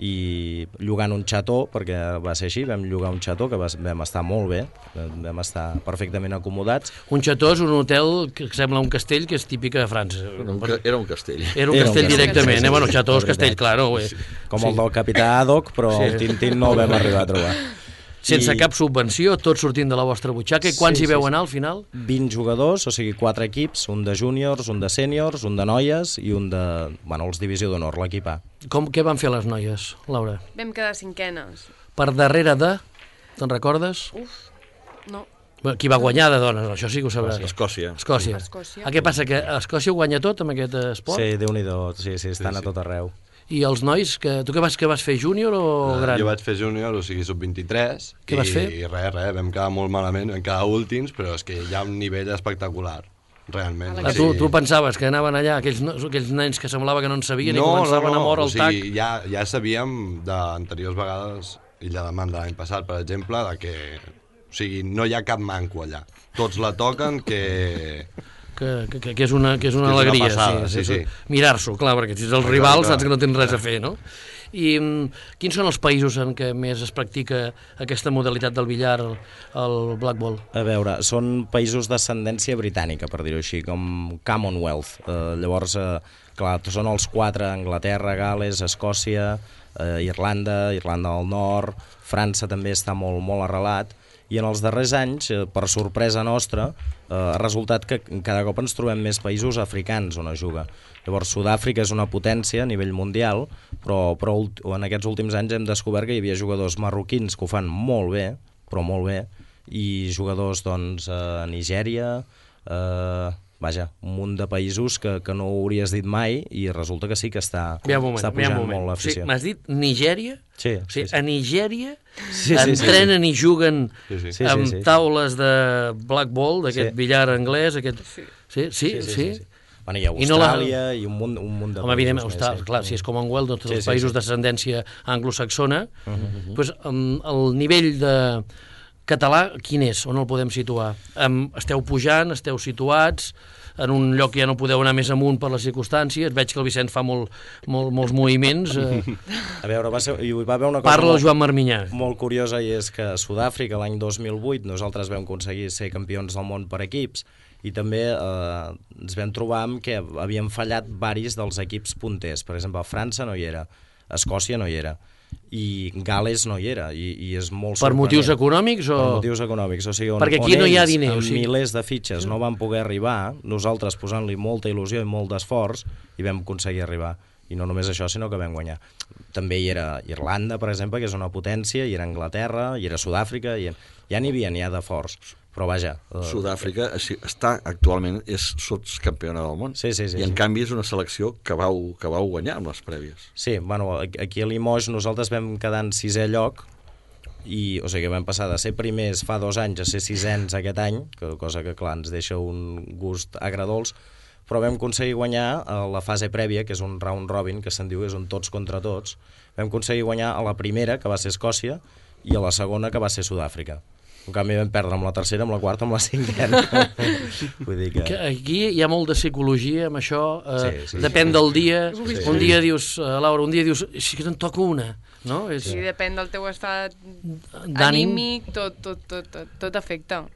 i llogant un xató, perquè va ser així, vam llogar un xató que vam estar molt bé, vam estar perfectament acomodats. Un xató és un hotel que sembla un castell, que és típic de França. Era un castell. Era un castell directament, bueno, xató és castell, clar. No? Com el del capità Haddock, però el Tintín no el vam arribar a trobar. Sense cap subvenció, tot sortint de la vostra butxaca. I quants hi veu anar al final? 20 jugadors, o sigui 4 equips, un de júniors, un de sèniors, un de noies i un de, els divisió d'honor, l'equip A. Què van fer les noies, Laura? Vam quedar cinquenes. Per darrere de... Te'n recordes? No. Qui va guanyar de dones? Això sí que ho sabràs. Escòcia. Què passa, que Escòcia ho guanya tot amb aquest esport? Sí, Déu-n'hi-do, sí, estan a tot arreu. I els nois, tu què vas fer, júnior o gran? Jo vaig fer júnior, o sigui, sub-23. Què vas fer? I res, vam quedar molt malament, vam quedar últims, però és que hi ha un nivell espectacular, realment. Tu pensaves que anaven allà, aquells nens que semblava que no en sabien i començaven a moure el tac? O sigui, ja sabíem d'anteriors vegades, Illa de Man de l'any passat, per exemple, que o sigui, no hi ha cap manco allà. Tots la toquen, que és una alegria, passada, sí. Mirar-s'ho, clar, perquè si ets el rival saps que no tens res a fer, no? I quins són els països en què més es practica aquesta modalitat del billar, el blackball? A veure, són països d'ascendència britànica, per dir-ho així, com Commonwealth. Llavors, clar, són els 4, Anglaterra, Gal·les, Escòcia, Irlanda del Nord, França també està molt, molt arrelat, i en els darrers anys, per sorpresa nostra, ha resultat que cada cop ens trobem més països africans on es juga. Llavors, Sud-àfrica és una potència a nivell mundial, però en aquests últims anys hem descobert que hi havia jugadors marroquins que ho fan molt bé, però molt bé, i jugadors, a Nigèria, un munt de països que no ho hauries dit mai, i resulta que sí que està pujant molt l'afició. M'has dit Nigèria? Sí. A Nigèria entrenen i juguen amb taules de blackball, d'aquest billar anglès, Sí. Bueno, hi ha Austràlia i un munt de països. Evidentment, clar, si és Commonwealth, tots els països d'ascendència anglosaxona, el nivell de català, quin és? On el podem situar? Esteu pujant, esteu situats, en un lloc que ja no podeu anar més amunt per les circumstàncies. Veig que el Vicent fa molts moviments. A veure, hi va haver una cosa... Parla el Joan Marminyà. Molt curiosa, i és que a Sud-àfrica, l'any 2008, nosaltres vam aconseguir ser campions del món per equips, i també ens vam trobar que havíem fallat varis dels equips punters. Per exemple, França no hi era, Escòcia no hi era, i Gal·les no hi era, i és molt sorprenent. Per motius econòmics? Per motius econòmics, o sigui, perquè aquí no hi ha diner, amb milers de fitxes no van poder arribar, nosaltres posant-li molta il·lusió i molt d'esforç, i vam aconseguir arribar. I no només això, sinó que vam guanyar. També hi era Irlanda, per exemple, que és una potència, hi era Anglaterra, hi era Sud-àfrica, ja n'hi ha de forts. Però vaja... Sud-àfrica actualment és sotscampiona del món. Sí. I en canvi és una selecció que vau guanyar amb les prèvies. Sí, bueno, aquí a Limoges nosaltres vam quedar en 6è lloc, o sigui que vam passar de ser primers fa 2 anys a ser 6ens aquest any, cosa que clar ens deixa un gust agredolç, però vam aconseguir guanyar a la fase prèvia, que és un round robin, que se'n diu, és un tots contra tots. Vam aconseguir guanyar a la primera, que va ser Escòcia, i a la segona, que va ser Sud-àfrica. En canvi vam perdre amb la tercera, amb la quarta, amb la 5a. Vull dir que... Aquí hi ha molt de psicologia amb això, depèn del dia. Un dia dius, Laura, si que te'n toca una, no? Sí, depèn del teu estat anímic, tot afecta.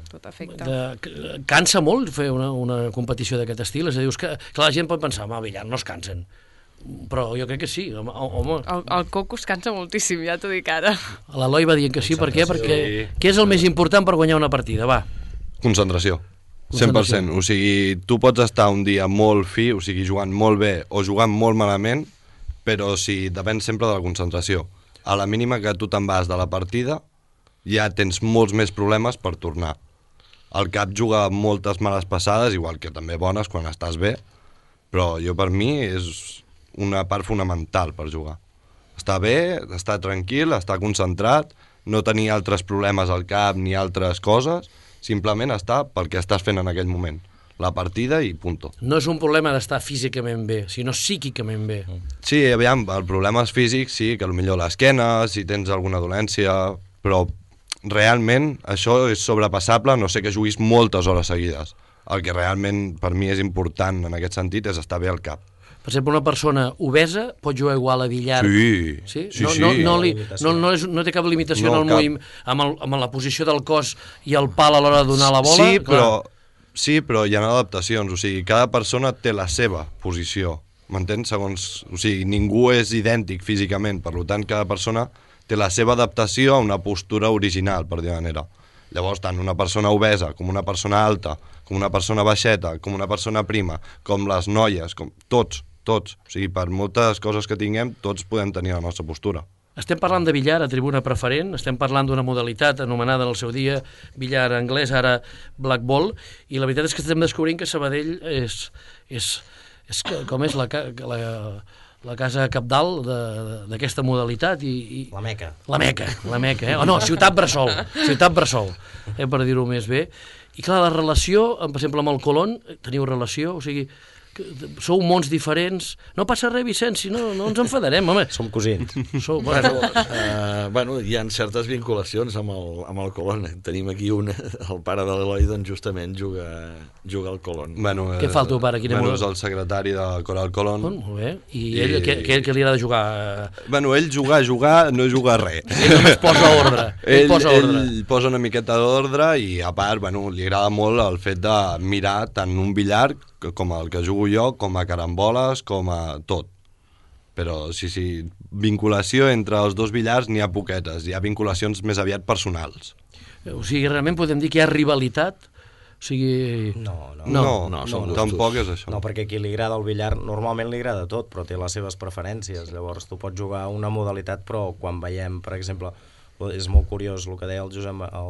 Tot afecta. Cansa molt fer una competició d'aquest estil? És a dir, clar, la gent pot pensar, home, billar, no es cansen. Però jo crec que sí, home. El coco es cansa moltíssim, ja t'ho dic ara. L'Eloi va dient que sí, per què? Perquè què és el més important per guanyar una partida? Va. Concentració. 100%. O sigui, tu pots estar un dia molt fi, o sigui, jugant molt bé o jugant molt malament, però depèn sempre de la concentració. A la mínima que tu te'n vas de la partida, ja tens molts més problemes per tornar. El cap juga moltes males passades, igual que també bones quan estàs bé, però per mi és una part fonamental per jugar. Estar bé, estar tranquil, estar concentrat, no tenir altres problemes al cap ni altres coses, simplement estar pel que estàs fent en aquell moment. La partida i punto. No és un problema d'estar físicament bé, sinó psíquicament bé. Sí, aviam, el problema és físic, sí, que potser l'esquena, si tens alguna dolència, però realment això és sobrepassable, no sé que juguis moltes hores seguides. El que realment per mi és important en aquest sentit és estar bé al cap. Per exemple, una persona obesa pot jugar igual a billar. Sí. No té cap limitació en el moviment, amb la posició del cos i el pal a l'hora de donar la bola. Sí, però hi ha adaptacions, o sigui, cada persona té la seva posició, m'entens? O sigui, ningú és idèntic físicament, per tant, cada persona té la seva adaptació a una postura original, per dir manera. Llavors, tant una persona obesa, com una persona alta, com una persona baixeta, com una persona prima, com les noies, com tots. O sigui, per moltes coses que tinguem, tots podem tenir la nostra postura. Estem parlant de billar a tribuna preferent, estem parlant d'una modalitat anomenada en el seu dia billar anglès, ara black ball, i la veritat és que estem descobrint que Sabadell és com és la casa cabdal d'aquesta modalitat. La Meca. La Meca, eh? No, ciutat bressol, per dir-ho més bé. I clar, la relació, per exemple, amb el Colón, teniu relació, o sigui, sou mons diferents. No passa res, Vicenç, no ens enfadarem, home. Som cosins. Hi ha certes vinculacions amb el Colón. Tenim aquí el pare de l'Eloi, doncs justament juga al Colón. Què fa el teu pare? És el secretari de Coral Colón. Molt bé. I ell, què li agrada jugar? Ell jugar, no juga res. Ell només posa ordre. Ell posa una miqueta d'ordre i, a part, li agrada molt el fet de mirar tant un billar com el que jugo jo, com a caramboles, com a tot. Però sí, vinculació entre els dos billars n'hi ha poquetes, hi ha vinculacions més aviat personals. O sigui, realment podem dir que hi ha rivalitat? O sigui... No, tampoc és això. No, perquè a qui li agrada el billar, normalment li agrada tot, però té les seves preferències. Llavors tu pots jugar una modalitat, però quan veiem, per exemple, és molt curiós el que deia el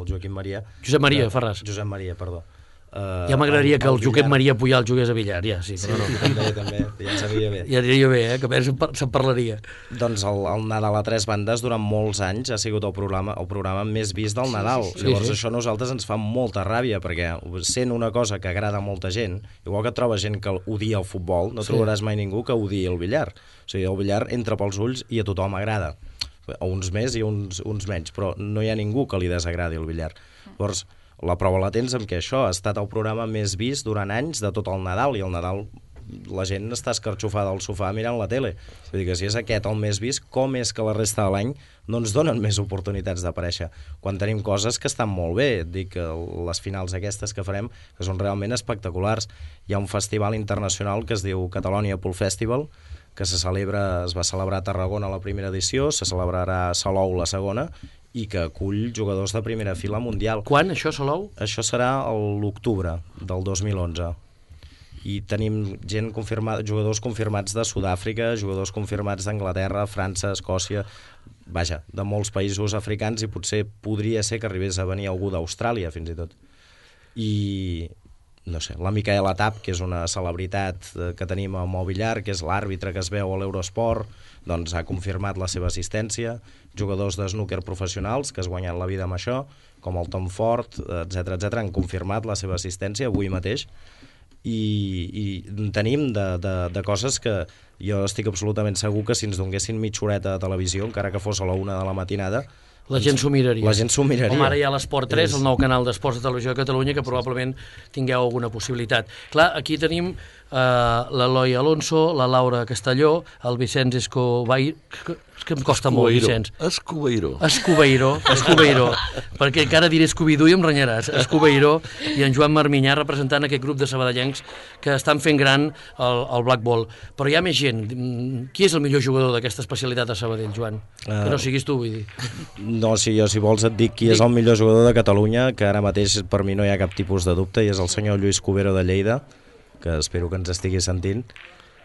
Joaquim Maria. Josep Maria Ferràs. Josep Maria, perdó. Ja m'agradaria que el Joaquim Maria Pujal jugués a billar, ja, sí, però no. També, ja ens aniria bé. Ja aniria bé, que a més se'n parlaria. Doncs el Nadal a tres bandes durant molts anys ha sigut el programa més vist del Nadal. Llavors això a nosaltres ens fa molta ràbia, perquè sent una cosa que agrada a molta gent, igual que trobes gent que odia el futbol, no trobaràs mai ningú que odiï el billar. O sigui, el billar entra pels ulls i a tothom agrada. A uns més i a uns menys, però no hi ha ningú que li desagradi el billar. Llavors, la prova la tens amb que això ha estat el programa més vist durant anys de tot el Nadal, i el Nadal la gent està escarxofada al sofà mirant la tele. Vull dir que si és aquest el més vist, com és que la resta de l'any no ens donen més oportunitats d'aparèixer? Quan tenim coses que estan molt bé, et dic que les finals aquestes que farem, que són realment espectaculars. Hi ha un festival internacional que es diu Catalonia Pool Festival, que es va celebrar a Tarragona la primera edició, se celebrarà a Salou la segona, i que acull jugadors de primera fila mundial. Quan, això, Salou? Això serà l'octubre del 2011. I tenim gent confirmada, jugadors confirmats de Sud-àfrica, jugadors confirmats d'Anglaterra, França, Escòcia, vaja, de molts països africans, i potser podria ser que arribés a venir algú d'Austràlia, fins i tot. I no sé, la Micaela Tap, que és una celebritat que tenim amb el billar, que és l'àrbitre que es veu a l'Eurosport, doncs ha confirmat la seva assistència. Jugadors de snooker professionals que es guanyen la vida amb això, com el Tom Ford, etc, han confirmat la seva assistència avui mateix. I tenim de coses que jo estic absolutament segur que si ens donguessin mitja horeta de televisió, encara que fos a la 1 de la matinada, la gent s'ho miraria. La gent s'ho miraria. Com ara hi ha l'Esport 3, el nou canal d'esports de televisió de Catalunya, que probablement tingueu alguna possibilitat. Clar, aquí tenim l'Eloi Alonso, la Laura Castelló, el Vicenç Escobai... És que em costa molt, Vicenç. Escobeiró. Perquè encara diré Scooby-Doo i em renyaràs. Escobeiró i en Joan Marminyà representant aquest grup de sabadellencs que estan fent gran el Black Ball. Però hi ha més gent. Qui és el millor jugador d'aquesta especialitat a Sabadell, Joan? Que no siguis tu, vull dir. No, si vols et dic qui és el millor jugador de Catalunya, que ara mateix per mi no hi ha cap tipus de dubte, i és el senyor Lluís Cubero de Lleida, que espero que ens estigui sentint,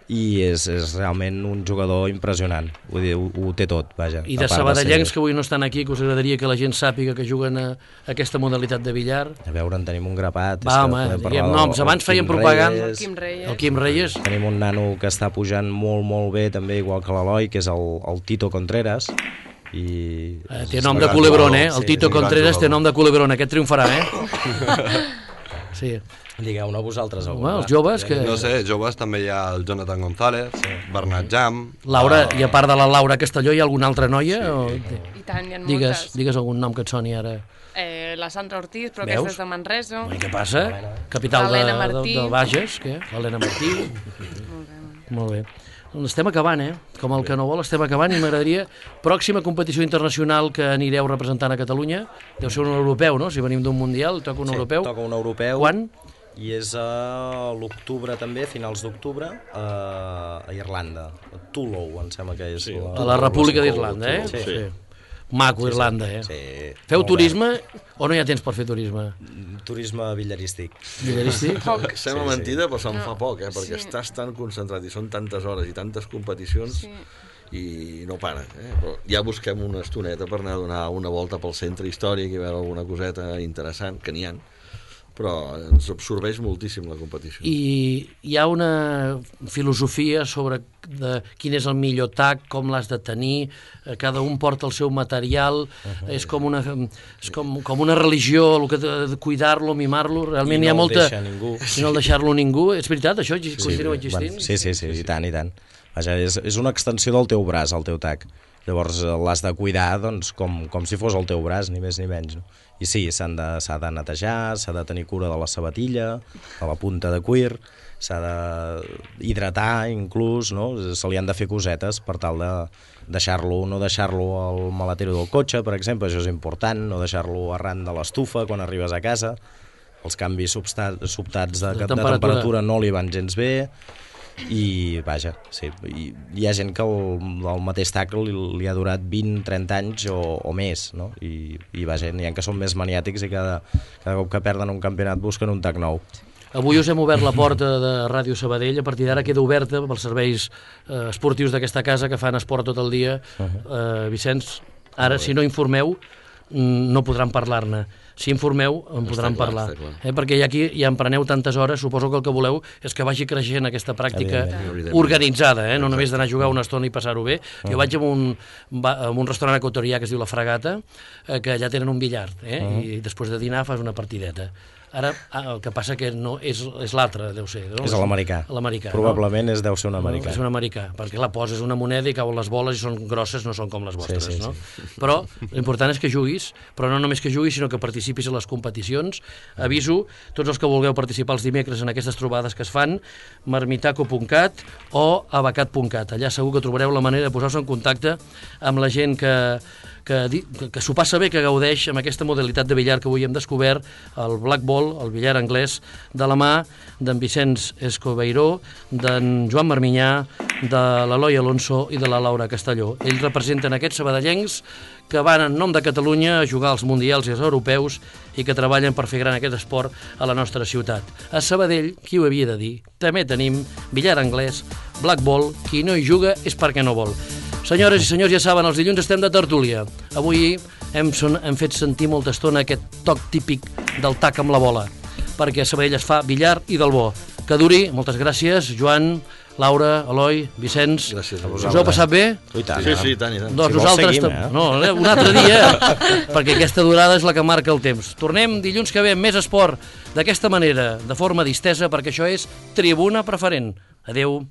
i és realment un jugador impressionant, vull dir, ho té tot, vaja. I de sabadellencs que avui no estan aquí, que us agradaria que la gent sàpiga que juguen a aquesta modalitat de billar? A veure, en tenim un grapat. Va, home, diguem noms, abans feien propaganda. El Quim Reyes. Tenim un nano que està pujant molt, molt bé, també, igual que l'Eloi, que és el Tito Contreras. Té nom de culebrón, el Tito Contreras té nom de culebrón, aquest triomfarà, Sí. Digueu-ne vosaltres alguna. Els joves que... No sé, joves també hi ha el Jonathan González, Bernat Jam... Laura, i a part de la Laura Castelló hi ha alguna altra noia? I tant, hi ha moltes. Digues algun nom que et soni ara. La Sandra Ortiz, però aquesta és de Manresa. Què passa? Capital de Bages, què? L'Helena Martí. Molt bé. Estem acabant, Com el que no vol, estem acabant, i m'agradaria, pròxima competició internacional que anireu representant a Catalunya, deu ser un europeu, no? Si venim d'un mundial, toca un europeu. Sí, toca un europeu. Quan? I és a l'octubre també, finals d'octubre, a Irlanda, a Tullow, em sembla que és. A la República d'Irlanda, Sí. Maco, Irlanda, Sí. Feu turisme o no hi ha temps per fer turisme? Turisme billarístic. Sembla mentida, però se'n fa poc, perquè estàs tan concentrat i són tantes hores i tantes competicions i no para. Però ja busquem una estoneta per anar a donar una volta pel centre històric i veure alguna coseta interessant, que n'hi ha, però ens absorbeix moltíssim la competició. I hi ha una filosofia sobre quin és el millor tac, com l'has de tenir, cada un porta el seu material, és com una religió, el que de cuidar-lo, mimar-lo, realment hi ha molta... I no el deixar-lo ningú. És veritat, això continua existint? Sí, i tant. Vaja, és una extensió del teu braç, el teu tac. Llavors l'has de cuidar com si fos el teu braç, ni més ni menys. I sí, s'ha de netejar, s'ha de tenir cura de la sabatilla, de la punta de cuir, s'ha d'hidratar inclús, se li han de fer cosetes per tal de no deixar-lo al maletero del cotxe, per exemple, això és important, no deixar-lo arran de l'estufa quan arribes a casa, els canvis sobtats de temperatura no li van gens bé, i vaja, sí, hi ha gent que el mateix tac li ha durat 20-30 anys o més, no? I vaja, n'hi ha que són més maniàtics i cada cop que perden un campionat busquen un tac nou. Avui us hem obert la porta de Ràdio Sabadell, a partir d'ara queda oberta pels serveis esportius d'aquesta casa que fan esport tot el dia. Vicenç, ara si no informeu no podran parlar-ne. Si informeu, en podran parlar. Perquè aquí ja en preneu tantes hores, suposo que el que voleu és que vagi creixent aquesta pràctica organitzada, no només d'anar a jugar una estona i passar-ho bé. Jo vaig a un restaurant equatorià que es diu La Fragata, que allà tenen un billar, i després de dinar fas una partideta. Ara, el que passa que no és l'altre, deu ser. És l'americà. Probablement deu ser un americà. És un americà, perquè la poses una moneda i cauen les boles i són grosses, no són com les vostres, no? Però l'important és que juguis, però no només que juguis, sinó que participis a les competicions. Aviso tots els que vulgueu participar els dimecres en aquestes trobades que es fan, marmitaco.cat o abacat.cat. Allà segur que trobareu la manera de posar-se en contacte amb la gent que s'ho passa bé, que gaudeix amb aquesta modalitat de billar que avui hem descobert, el Black Ball, el billar anglès, de la mà d'en Vicenç Escobeiró, d'en Joan Marminyà, de l'Eloi Alonso i de la Laura Castelló. Ells representen aquests sabadellencs que van en nom de Catalunya a jugar als mundials i als europeus i que treballen per fer gran aquest esport a la nostra ciutat. A Sabadell, qui ho havia de dir, també tenim billar anglès, Black Ball, qui no hi juga és perquè no vol. Senyores i senyors, ja saben, els dilluns estem de tertúlia. Avui hem fet sentir molta estona aquest toc típic del tac amb la bola, perquè a Sabadell es fa billar i del bo. Que duri, moltes gràcies, Joan, Laura, Eloi, Vicenç. Gràcies a vosaltres. Us heu passat bé? Sí, tant. Doncs nosaltres... No, un altre dia, perquè aquesta durada és la que marca el temps. Tornem dilluns que ve amb més esport, d'aquesta manera, de forma distesa, perquè això és Tribuna Preferent. Adeu.